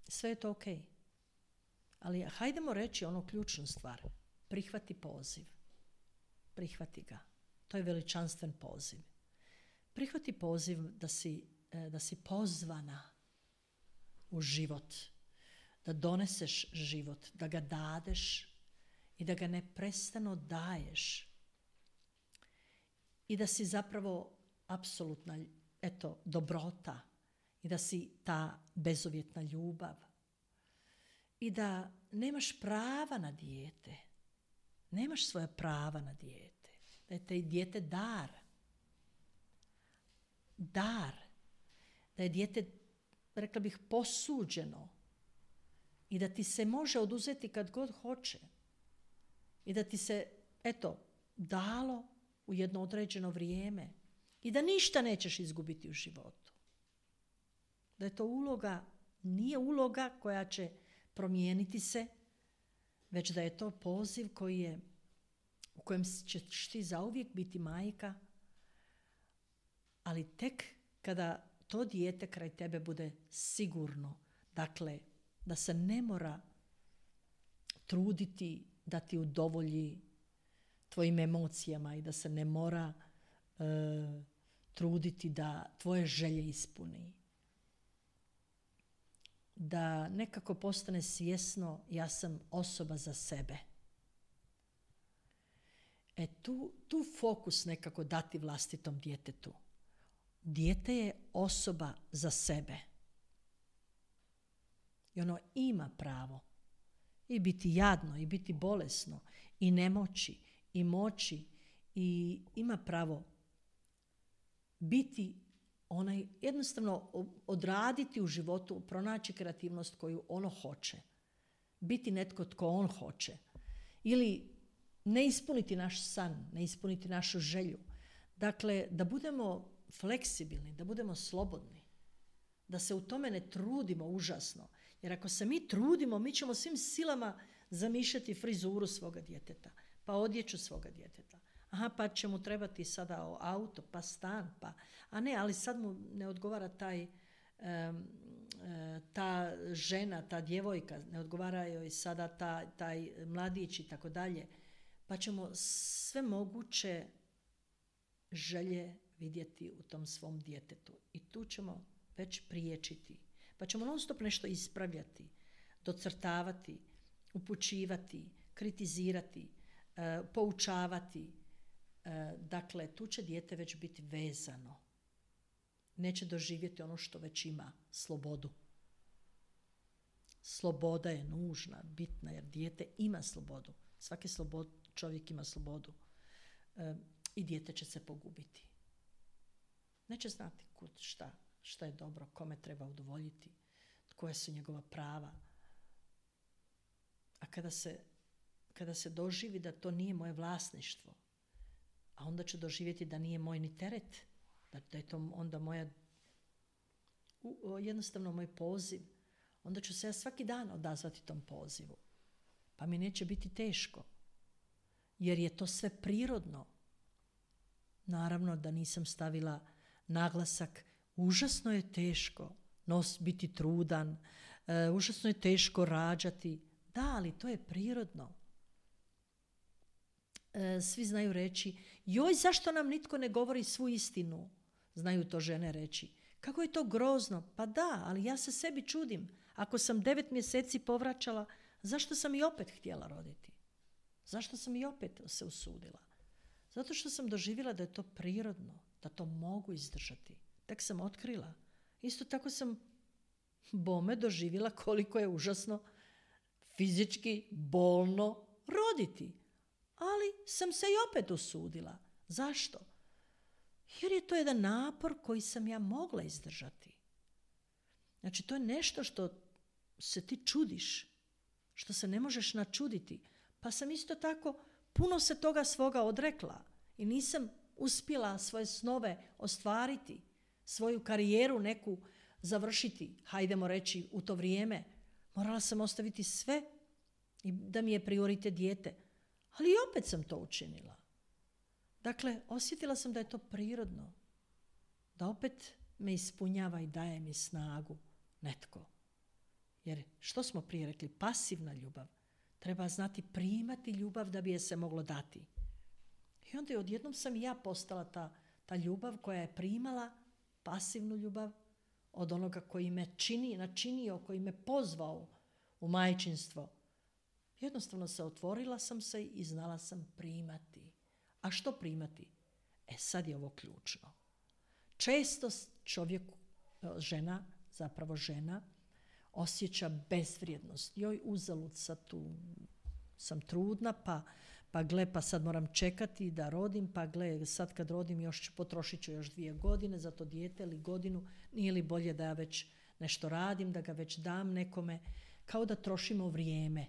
Sve je to ok. Ali hajdemo reći onu ključnu stvar. Prihvati poziv. Prihvati ga. To je veličanstven poziv. Prihvati poziv da si, da si pozvana u život, da doneseš život, da ga dadeš i da ga neprestano daješ. I da si zapravo apsolutna, eto, dobrota i da si ta bezuvjetna ljubav. I da nemaš prava na dijete. Nemaš svoja prava na dijete. Da je te dijete dar. Dar. Da je dijete, rekla bih, posuđeno. I da ti se može oduzeti kad god hoće. I da ti se, eto, dalo u jedno određeno vrijeme. I da ništa nećeš izgubiti u životu. Da je to uloga, nije uloga koja će promijeniti se, već da je to poziv koji je, u kojem ćeš ti zauvijek biti majka, ali tek kada to dijete kraj tebe bude sigurno. Dakle, da se ne mora truditi da ti udovolji tvojim emocijama i da se ne mora e, truditi da tvoje želje ispuni. Da nekako postane svjesno, ja sam osoba za sebe. E tu, tu fokus nekako dati vlastitom djetetu. Dijete je osoba za sebe. I ono ima pravo i biti jadno, i biti bolesno, i nemoći, i moći, i ima pravo biti onaj, jednostavno odraditi u životu, pronaći kreativnost koju ono hoće. Biti netko tko on hoće. Ili ne ispuniti naš san, ne ispuniti našu želju. Dakle, da budemo fleksibilni, da budemo slobodni. Da se u tome ne trudimo užasno. Jer ako se mi trudimo, mi ćemo svim silama zamišljati frizuru svoga djeteta, pa odjeću svoga djeteta. Aha, pa će mu trebati sada auto, pa stan, pa... A ne, ali sad mu ne odgovara taj, um, ta žena, ta djevojka, ne odgovara joj sada ta, taj mladić i tako dalje. Pa ćemo sve moguće želje vidjeti u tom svom djetetu. I tu ćemo već priječiti. Pa ćemo non stop nešto ispravljati, docrtavati, upućivati, kritizirati, e, poučavati. E, dakle, tu će dijete već biti vezano. Neće doživjeti ono što već ima, slobodu. Sloboda je nužna, bitna, jer dijete ima slobodu. Svaki slobod, čovjek ima slobodu. E, I dijete će se pogubiti. Neće znati kud, šta, šta je dobro, kome treba udovoljiti, koja su njegova prava. A kada se, kada se doživi da to nije moje vlasništvo, a onda ću doživjeti da nije moj ni teret, da, da je to onda moja, u, jednostavno moj poziv, onda ću se ja svaki dan odazvati tom pozivu. Pa mi neće biti teško, jer je to sve prirodno. Naravno da nisam stavila naglasak, užasno je teško nos biti trudan, uh, užasno je teško rađati. Da, ali to je prirodno. Uh, svi znaju reći, joj, zašto nam nitko ne govori svu istinu? Znaju to žene reći. Kako je to grozno? Pa da, ali ja se sebi čudim. Ako sam devet mjeseci povraćala, zašto sam i opet htjela roditi? Zašto sam i opet se usudila? Zato što sam doživjela da je to prirodno, da to mogu izdržati. Tek sam otkrila. Isto tako sam bome doživjela koliko je užasno fizički bolno roditi. Ali sam se i opet usudila. Zašto? Jer je to jedan napor koji sam ja mogla izdržati. Znači, to je nešto što se ti čudiš, što se ne možeš načuditi. Pa sam isto tako puno se toga svoga odrekla i nisam uspjela svoje snove ostvariti, svoju karijeru neku završiti, hajdemo reći, u to vrijeme. Morala sam ostaviti sve i da mi je prioritet dijete. Ali i opet sam to učinila. Dakle, osjetila sam da je to prirodno. Da opet me ispunjava i daje mi snagu netko. Jer što smo prije rekli? Pasivna ljubav. Treba znati primati ljubav da bi je se moglo dati. I onda je odjednom sam i ja postala ta, ta ljubav koja je primala pasivnu ljubav od onoga koji me čini, načinio, koji me pozvao u majčinstvo. Jednostavno se otvorila sam se i znala sam primati. A što primati? E sad je ovo ključno. Često čovjek, žena, zapravo žena, osjeća bezvrijednost. Joj, uzalud sad tu sam trudna, pa, pa gle, pa sad moram čekati da rodim, pa gle, sad kad rodim još ću, potrošit ću još dvije godine za to dijete ili godinu, nije li bolje da ja već nešto radim, da ga već dam nekome, kao da trošimo vrijeme.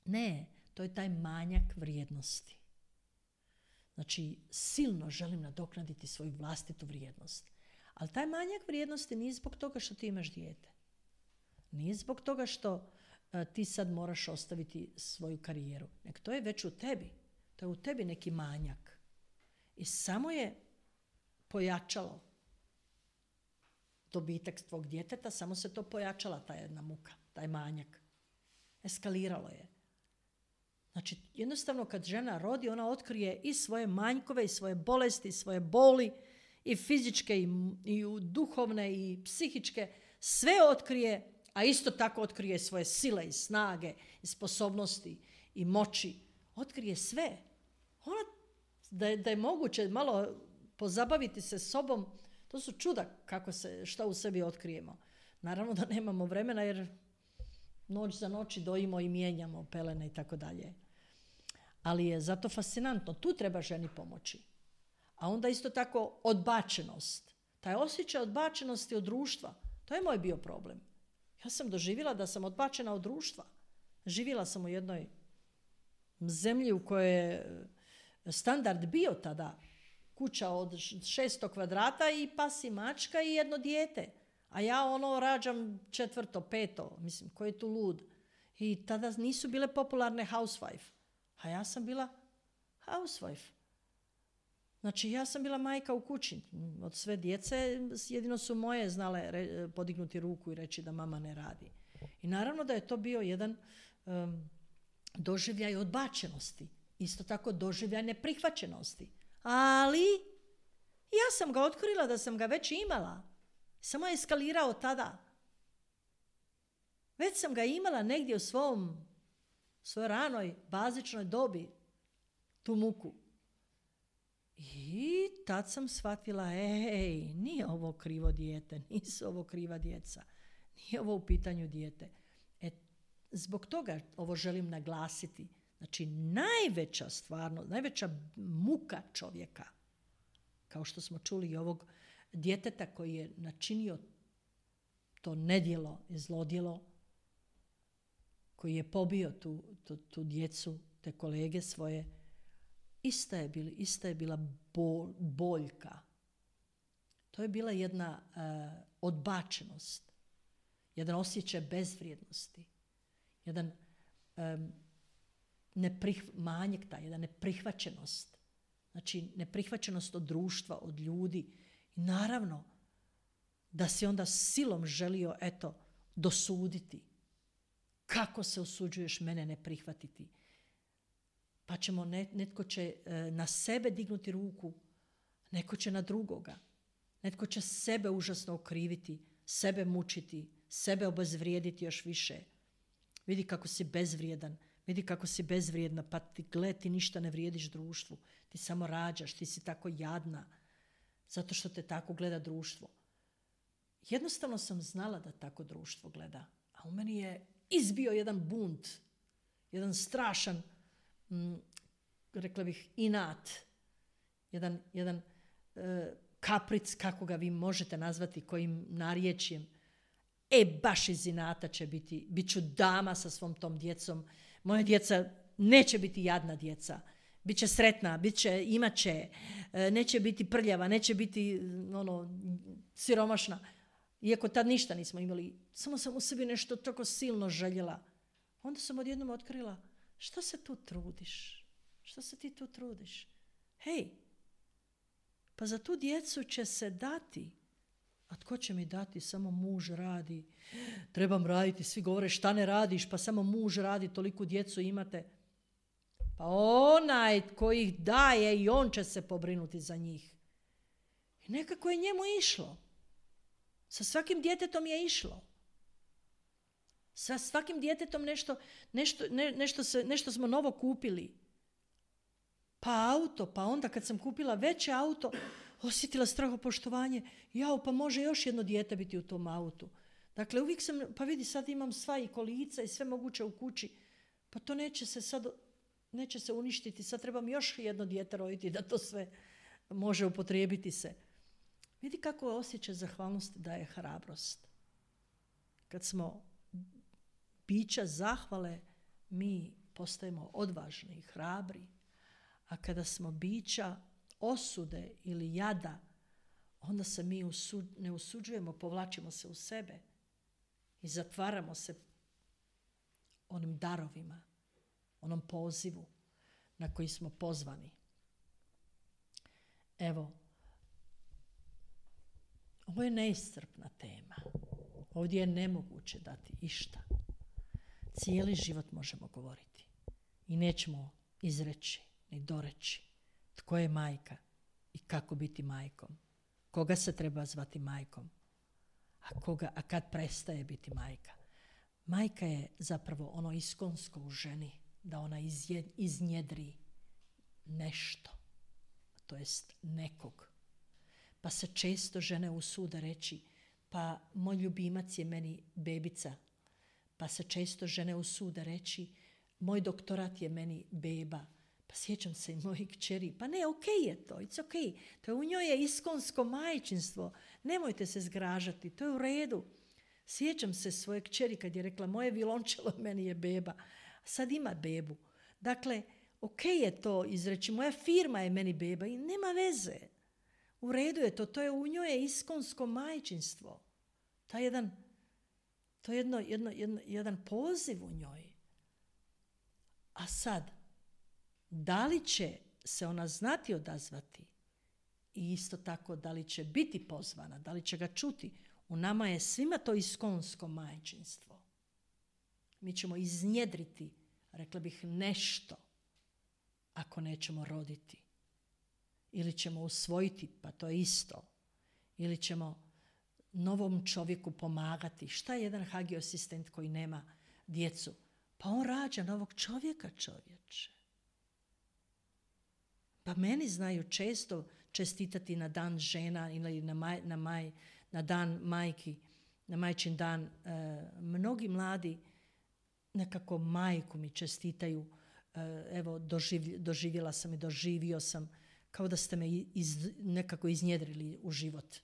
Ne, to je taj manjak vrijednosti. Znači, silno želim nadoknaditi svoju vlastitu vrijednost. Ali taj manjak vrijednosti nije zbog toga što ti imaš dijete. Nije zbog toga što a, ti sad moraš ostaviti svoju karijeru. Nek to je već u tebi. To je u tebi neki manjak. I samo je pojačalo dobitak tvog djeteta, samo se to pojačala, ta jedna muka, taj manjak. Eskaliralo je. Znači, jednostavno kad žena rodi, ona otkrije i svoje manjkove, i svoje bolesti, i svoje boli, i fizičke, i, i duhovne, i psihičke. Sve otkrije, a isto tako otkrije svoje sile i snage, i sposobnosti, i moći. Otkrije sve. Ona, da je, da je moguće malo pozabaviti se sobom, to su čuda kako se, šta u sebi otkrijemo. Naravno da nemamo vremena jer noć za noći dojimo i mijenjamo pelene i tako dalje. Ali je zato fascinantno. Tu treba ženi pomoći. A onda isto tako odbačenost. Taj osjećaj odbačenosti od društva. To je moj bio problem. Ja sam doživjela da sam odbačena od društva. Živjela sam u jednoj zemlji u kojoj je standard bio tada kuća od šesto kvadrata i pas i mačka i jedno dijete. A ja ono rađam četvrto, peto. Mislim, ko je tu lud? I tada nisu bile popularne housewife. A ja sam bila housewife. Znači, ja sam bila majka u kući. Od sve djece jedino su moje znale re, podignuti ruku i reći da mama ne radi. I naravno da je to bio jedan um, doživljaj odbačenosti. Isto tako doživljaj neprihvaćenosti. Ali ja sam ga otkrila da sam ga već imala. Samo je eskalirao tada. Već sam ga imala negdje u svom, svojoj ranoj, bazičnoj dobi. Tu muku. I tad sam shvatila, ej, nije ovo krivo dijete, nisu ovo kriva djeca. Nije ovo u pitanju dijete. E, zbog toga ovo želim naglasiti. Znači, najveća stvarno, najveća muka čovjeka, kao što smo čuli i ovog djeteta koji je načinio to nedjelo i zlodjelo, koji je pobio tu, tu, tu djecu, te kolege svoje, ista je, bili, ista je bila bol, boljka. To je bila jedna uh, odbačenost, jedan osjećaj bezvrijednosti, jedan um, neprih, manjak taj, jedna neprihvaćenost. Znači, neprihvaćenost od društva, od ljudi. I naravno da si onda silom želio, eto, dosuditi. Kako se usuđuješ mene ne prihvatiti? Pa ćemo, netko će e, na sebe dignuti ruku, neko će na drugoga. Netko će sebe užasno okriviti, sebe mučiti, sebe obezvrijediti još više. Vidi kako si bezvrijedan, vidi kako si bezvrijedna, pa ti gle, ti ništa ne vrijediš društvu. Ti samo rađaš, ti si tako jadna, zato što te tako gleda društvo. Jednostavno sam znala da tako društvo gleda, a u meni je izbio jedan bunt, jedan strašan, mm, rekla bih, inat, jedan, jedan e, kapric, kako ga vi možete nazvati, kojim narječjem. E, baš iz inata će biti, bit ću dama sa svom tom djecom. Moja djeca neće biti jadna djeca. Biće sretna, bit će, imat će, neće biti prljava, neće biti ono, siromašna. Iako tad ništa nismo imali, samo sam u sebi nešto tako silno željela. Onda sam odjednom otkrila, što se tu trudiš? Što se ti tu trudiš? Hej, pa za tu djecu će se dati. A tko će mi dati? Samo muž radi. Trebam raditi, svi govore šta ne radiš, pa samo muž radi, toliko djecu imate. Pa onaj tko ih daje i on će se pobrinuti za njih. I nekako je njemu išlo. Sa svakim djetetom je išlo. Sa svakim djetetom nešto, nešto, ne, nešto, se, nešto smo novo kupili. Pa auto, pa onda kad sam kupila veće auto, osjetila strahopoštovanje. Jao, pa može još jedno dijete biti u tom autu. Dakle, uvijek sam, pa vidi, sad imam sva i kolica i sve moguće u kući. Pa to neće se sad, neće se uništiti. Sad trebam još jedno dijete roditi da to sve može upotrijebiti se. Vidi kako je osjećaj zahvalnosti daje hrabrost. Kad smo bića zahvale, mi postajemo odvažni i hrabri. A kada smo bića osude ili jada, onda se mi usud, ne usuđujemo, povlačimo se u sebe i zatvaramo se onim darovima, onom pozivu na koji smo pozvani. Evo, Ovo je neiscrpna tema. Ovdje je nemoguće dati išta. Cijeli život možemo govoriti. I nećemo izreći ni doreći tko je majka i kako biti majkom. Koga se treba zvati majkom, a, koga, a kad prestaje biti majka. Majka je zapravo ono iskonsko u ženi, da ona izje, iznjedri nešto, to jest nekog. Pa se često žene usude reći, pa moj ljubimac je meni bebica. Pa se često žene usude reći, moj doktorat je meni beba. Pa sjećam se i mojih kćeri, pa ne, ok je to, it's ok. To je u njoj je iskonsko majčinstvo. Nemojte se zgražati, to je u redu. Sjećam se svoje kćeri kad je rekla, moje violončelo meni je beba. Sad ima bebu. Dakle, ok je to izreći, moja firma je meni beba i nema veze. U redu je to, to je u njoj je iskonsko majčinstvo. Ta jedan, to je jedno, jedno, jedno, jedan poziv u njoj. A sad, da li će se ona znati odazvati i isto tako da li će biti pozvana, da li će ga čuti, u nama je svima to iskonsko majčinstvo. Mi ćemo iznjedriti, rekla bih, nešto ako nećemo roditi. Ili ćemo usvojiti, pa to je isto. Ili ćemo novom čovjeku pomagati. Šta je jedan hagiosistent koji nema djecu? Pa on rađa novog čovjeka, čovječe. Pa meni znaju često čestitati na dan žena ili na, maj, na, maj, na dan majki, na majčin dan. E, mnogi mladi nekako majku mi čestitaju. E, evo, doživ, doživjela sam i doživio sam, kao da ste me iz, nekako iznjedrili u život.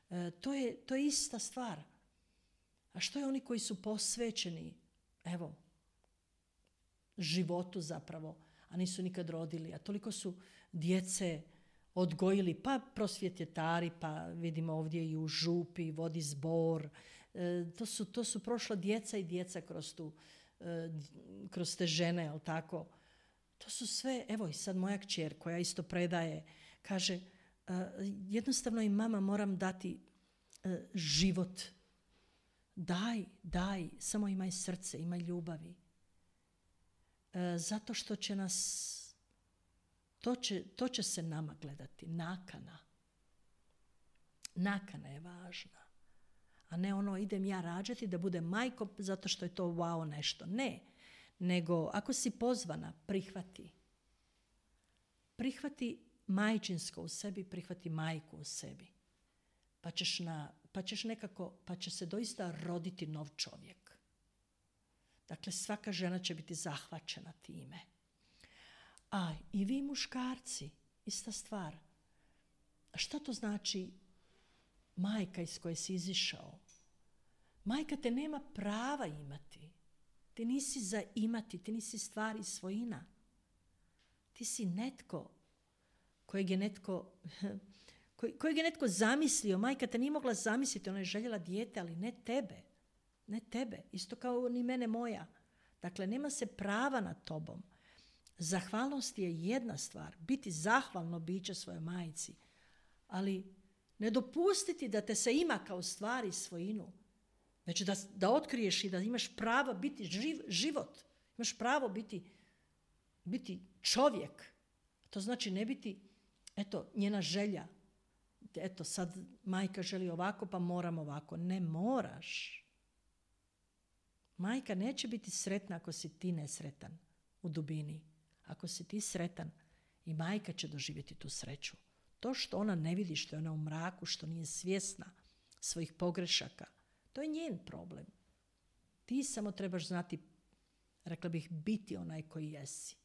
E, to, je, to je ista stvar. A što je oni koji su posvećeni, evo, životu zapravo, a nisu nikad rodili, a toliko su djece odgojili, pa prosvjetjetari, pa vidimo ovdje i u župi, vodi zbor. E, to, su, to su prošla djeca i djeca kroz, tu, e, kroz te žene, jel tako? To su sve, evo i sad moja kćer koja isto predaje, kaže, e, jednostavno i mama moram dati e, život. Daj, daj, samo imaj srce, imaj ljubavi. E, zato što će nas, to će, to će se nama gledati, nakana. Nakana je važna. A ne ono, idem ja rađati da budem majko zato što je to wow nešto. Ne, nego ako si pozvana, prihvati. Prihvati majčinsko u sebi, prihvati majku u sebi. Pa ćeš, na, pa ćeš nekako, pa će se doista roditi nov čovjek. Dakle, svaka žena će biti zahvaćena time. A i vi muškarci, ista stvar. A šta to znači majka iz koje si izišao? Majka te nema prava imati. Ti nisi za imati, ti nisi stvar i svojina. Ti si netko kojeg je netko, kojeg je netko zamislio. Majka te nije mogla zamisliti, ona je željela dijete, ali ne tebe. Ne tebe, isto kao ni mene moja. Dakle, nema se prava nad tobom. Zahvalnost je jedna stvar, biti zahvalno biće svojoj majci, ali ne dopustiti da te se ima kao stvar i svojinu, već da, da otkriješ i da imaš pravo biti živ, život, imaš pravo biti, biti čovjek. To znači ne biti, eto, njena želja. Eto, sad majka želi ovako, pa moram ovako. Ne moraš. Majka neće biti sretna ako si ti nesretan u dubini. Ako si ti sretan, i majka će doživjeti tu sreću. To što ona ne vidi, što je ona u mraku, što nije svjesna svojih pogrešaka, to je njen problem. Ti samo trebaš znati, rekla bih, biti onaj koji jesi.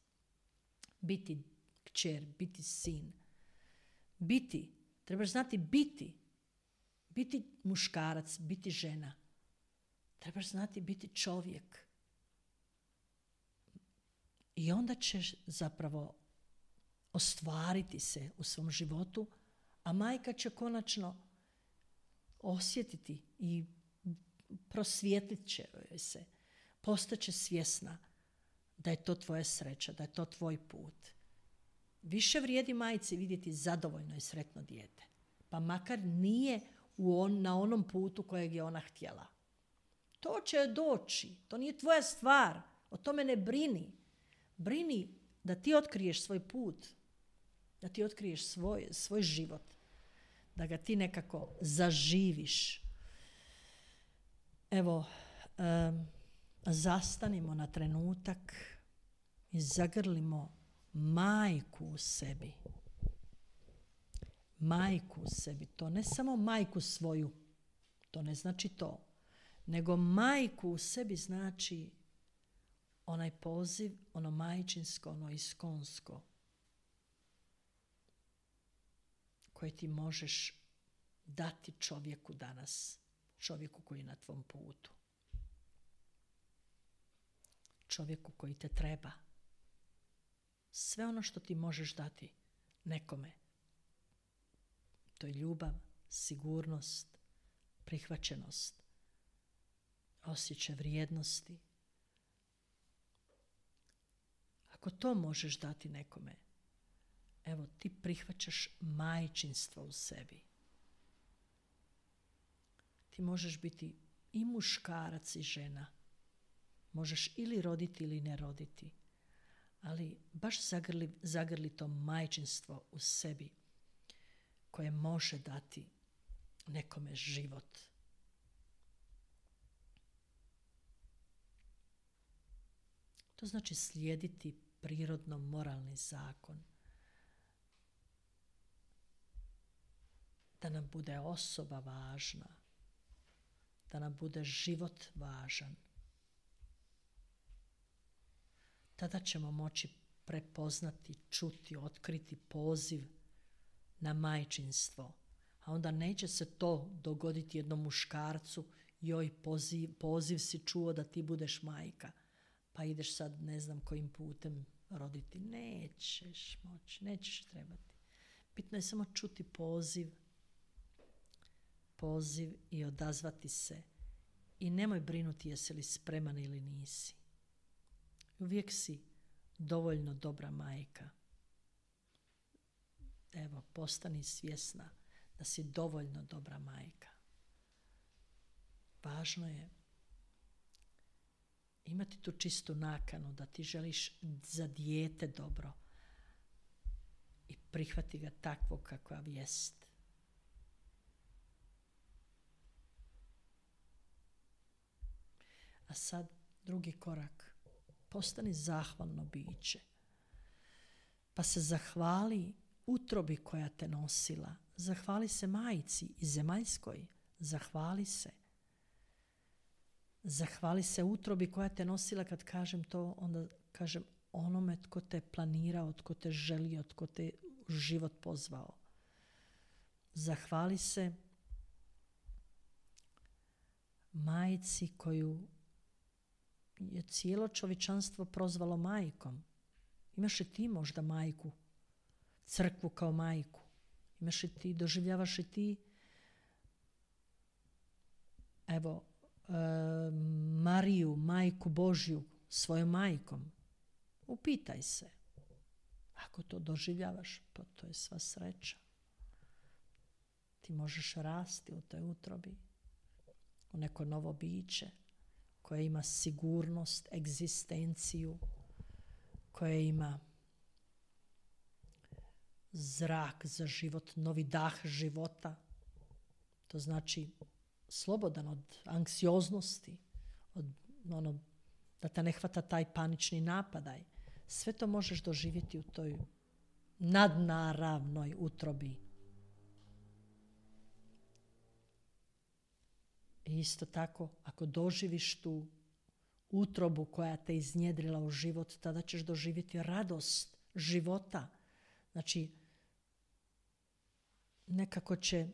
Biti kćer, biti sin. Biti, trebaš znati biti. Biti muškarac, biti žena. Trebaš znati biti čovjek. I onda ćeš zapravo ostvariti se u svom životu, a majka će konačno osjetiti i prosvijetlit će se. Postaće svjesna da je to tvoja sreća, da je to tvoj put. Više vrijedi majci vidjeti zadovoljno i sretno dijete. Pa makar nije u on, na onom putu kojeg je ona htjela. To će doći. To nije tvoja stvar. O tome ne brini. Brini da ti otkriješ svoj put. Da ti otkriješ svoj, svoj život. Da ga ti nekako zaživiš. Evo, um, zastanimo na trenutak i zagrlimo majku u sebi. Majku u sebi. To ne samo majku svoju. To ne znači to. Nego majku u sebi znači onaj poziv, ono majčinsko, ono iskonsko, koje ti možeš dati čovjeku danas, čovjeku koji je na tvom putu, čovjeku koji te treba. Sve ono što ti možeš dati nekome, to je ljubav, sigurnost, prihvaćenost, osjećaj vrijednosti. Ako to možeš dati nekome, evo ti prihvaćaš majčinstvo u sebi. Ti možeš biti i muškarac i žena. Možeš ili roditi ili ne roditi. Ali baš zagrli, zagrli to majčinstvo u sebi koje može dati nekome život. To znači slijediti prirodno moralni zakon. Da nam bude osoba važna. Da nam bude život važan. Tada ćemo moći prepoznati, čuti, otkriti poziv na majčinstvo. A onda neće se to dogoditi jednom muškarcu, joj, poziv, poziv si čuo da ti budeš majka. Pa ideš sad ne znam kojim putem roditi. Nećeš moći, nećeš trebati. Bitno je samo čuti poziv, poziv i odazvati se. I nemoj brinuti jesi li spreman ili nisi. Uvijek si dovoljno dobra majka. Evo, postani svjesna da si dovoljno dobra majka. Važno je imati tu čistu nakanu da ti želiš za dijete dobro i prihvati ga takvog kakav jest. A sad drugi korak. Postani zahvalno biće. Pa se zahvali utrobi koja te nosila. Zahvali se majci i zemaljskoj. Zahvali se. Zahvali se utrobi koja te nosila. Kad kažem to, onda kažem onome tko te planirao, tko te želio, tko te u život pozvao. Zahvali se majci koju je cijelo čovječanstvo prozvalo majkom. Imaš li ti možda majku? Crkvu kao majku? Imaš li ti, doživljavaš li ti evo e, Mariju, majku Božju, svojom majkom? Upitaj se. Ako to doživljavaš, pa to je sva sreća. Ti možeš rasti u toj utrobi, u neko novo biće koje ima sigurnost, egzistenciju, koje ima zrak za život, novi dah života. To znači slobodan od anksioznosti, od ono, da te ne hvata taj panični napadaj. Sve to možeš doživjeti u toj nadnaravnoj utrobi. I isto tako, ako doživiš tu utrobu koja te iznjedrila u život, tada ćeš doživjeti radost života. Znači, nekako će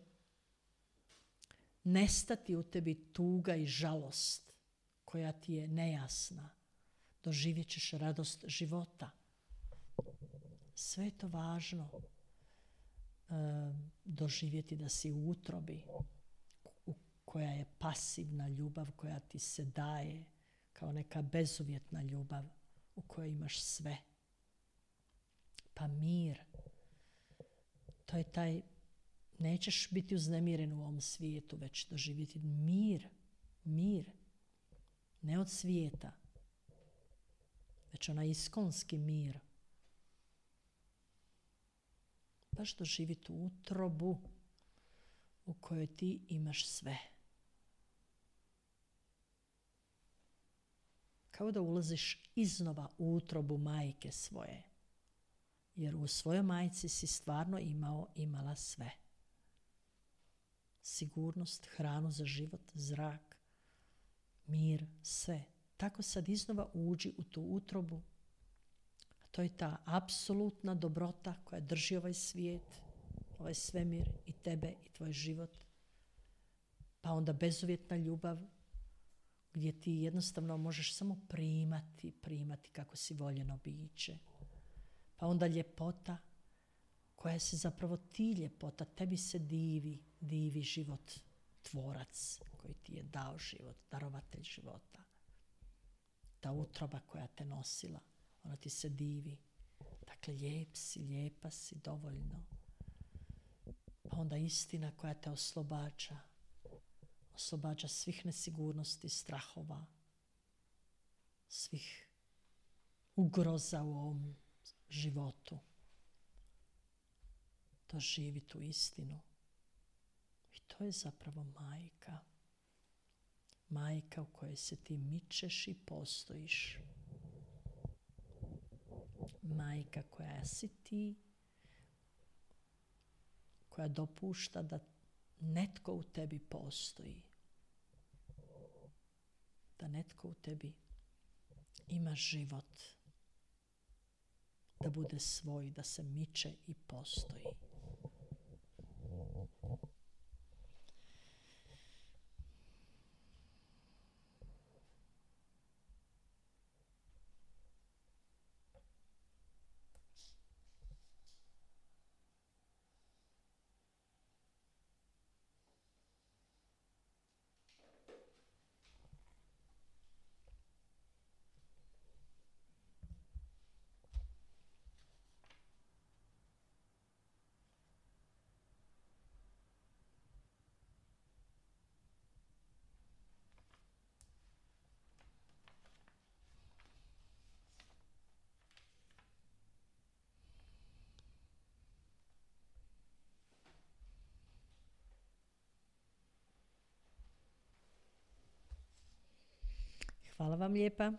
nestati u tebi tuga i žalost koja ti je nejasna. Doživjet ćeš radost života. Sve je to važno e, doživjeti da si u utrobi koja je pasivna ljubav, koja ti se daje kao neka bezuvjetna ljubav u kojoj imaš sve. Pa mir, to je taj nećeš biti uznemiren u ovom svijetu, već doživjeti mir, mir, ne od svijeta, već onaj iskonski mir. Baš doživjeti utrobu u kojoj ti imaš sve. Kao da ulaziš iznova u utrobu majke svoje. Jer u svojoj majci si stvarno imao, imala sve. Sigurnost, hranu za život, zrak, mir, sve. Tako sad iznova uđi u tu utrobu. A to je ta apsolutna dobrota koja drži ovaj svijet, ovaj svemir i tebe i tvoj život. Pa onda bezuvjetna ljubav gdje ti jednostavno možeš samo primati, primati kako si voljeno biće. Pa onda ljepota koja se zapravo ti ljepota, tebi se divi, divi život, tvorac koji ti je dao život, darovatelj života. Ta utroba koja te nosila, ona ti se divi. Dakle, lijep si, lijepa si, dovoljno. Pa onda istina koja te oslobađa, oslobađa svih nesigurnosti, strahova, svih ugroza u ovom životu. Doživi tu istinu. I to je zapravo majka. Majka u kojoj se ti mičeš i postojiš. Majka koja si ti, koja dopušta da netko u tebi postoji. Da netko u tebi ima život. Da bude svoj, da se miče i postoji. Hvala vam lijepa.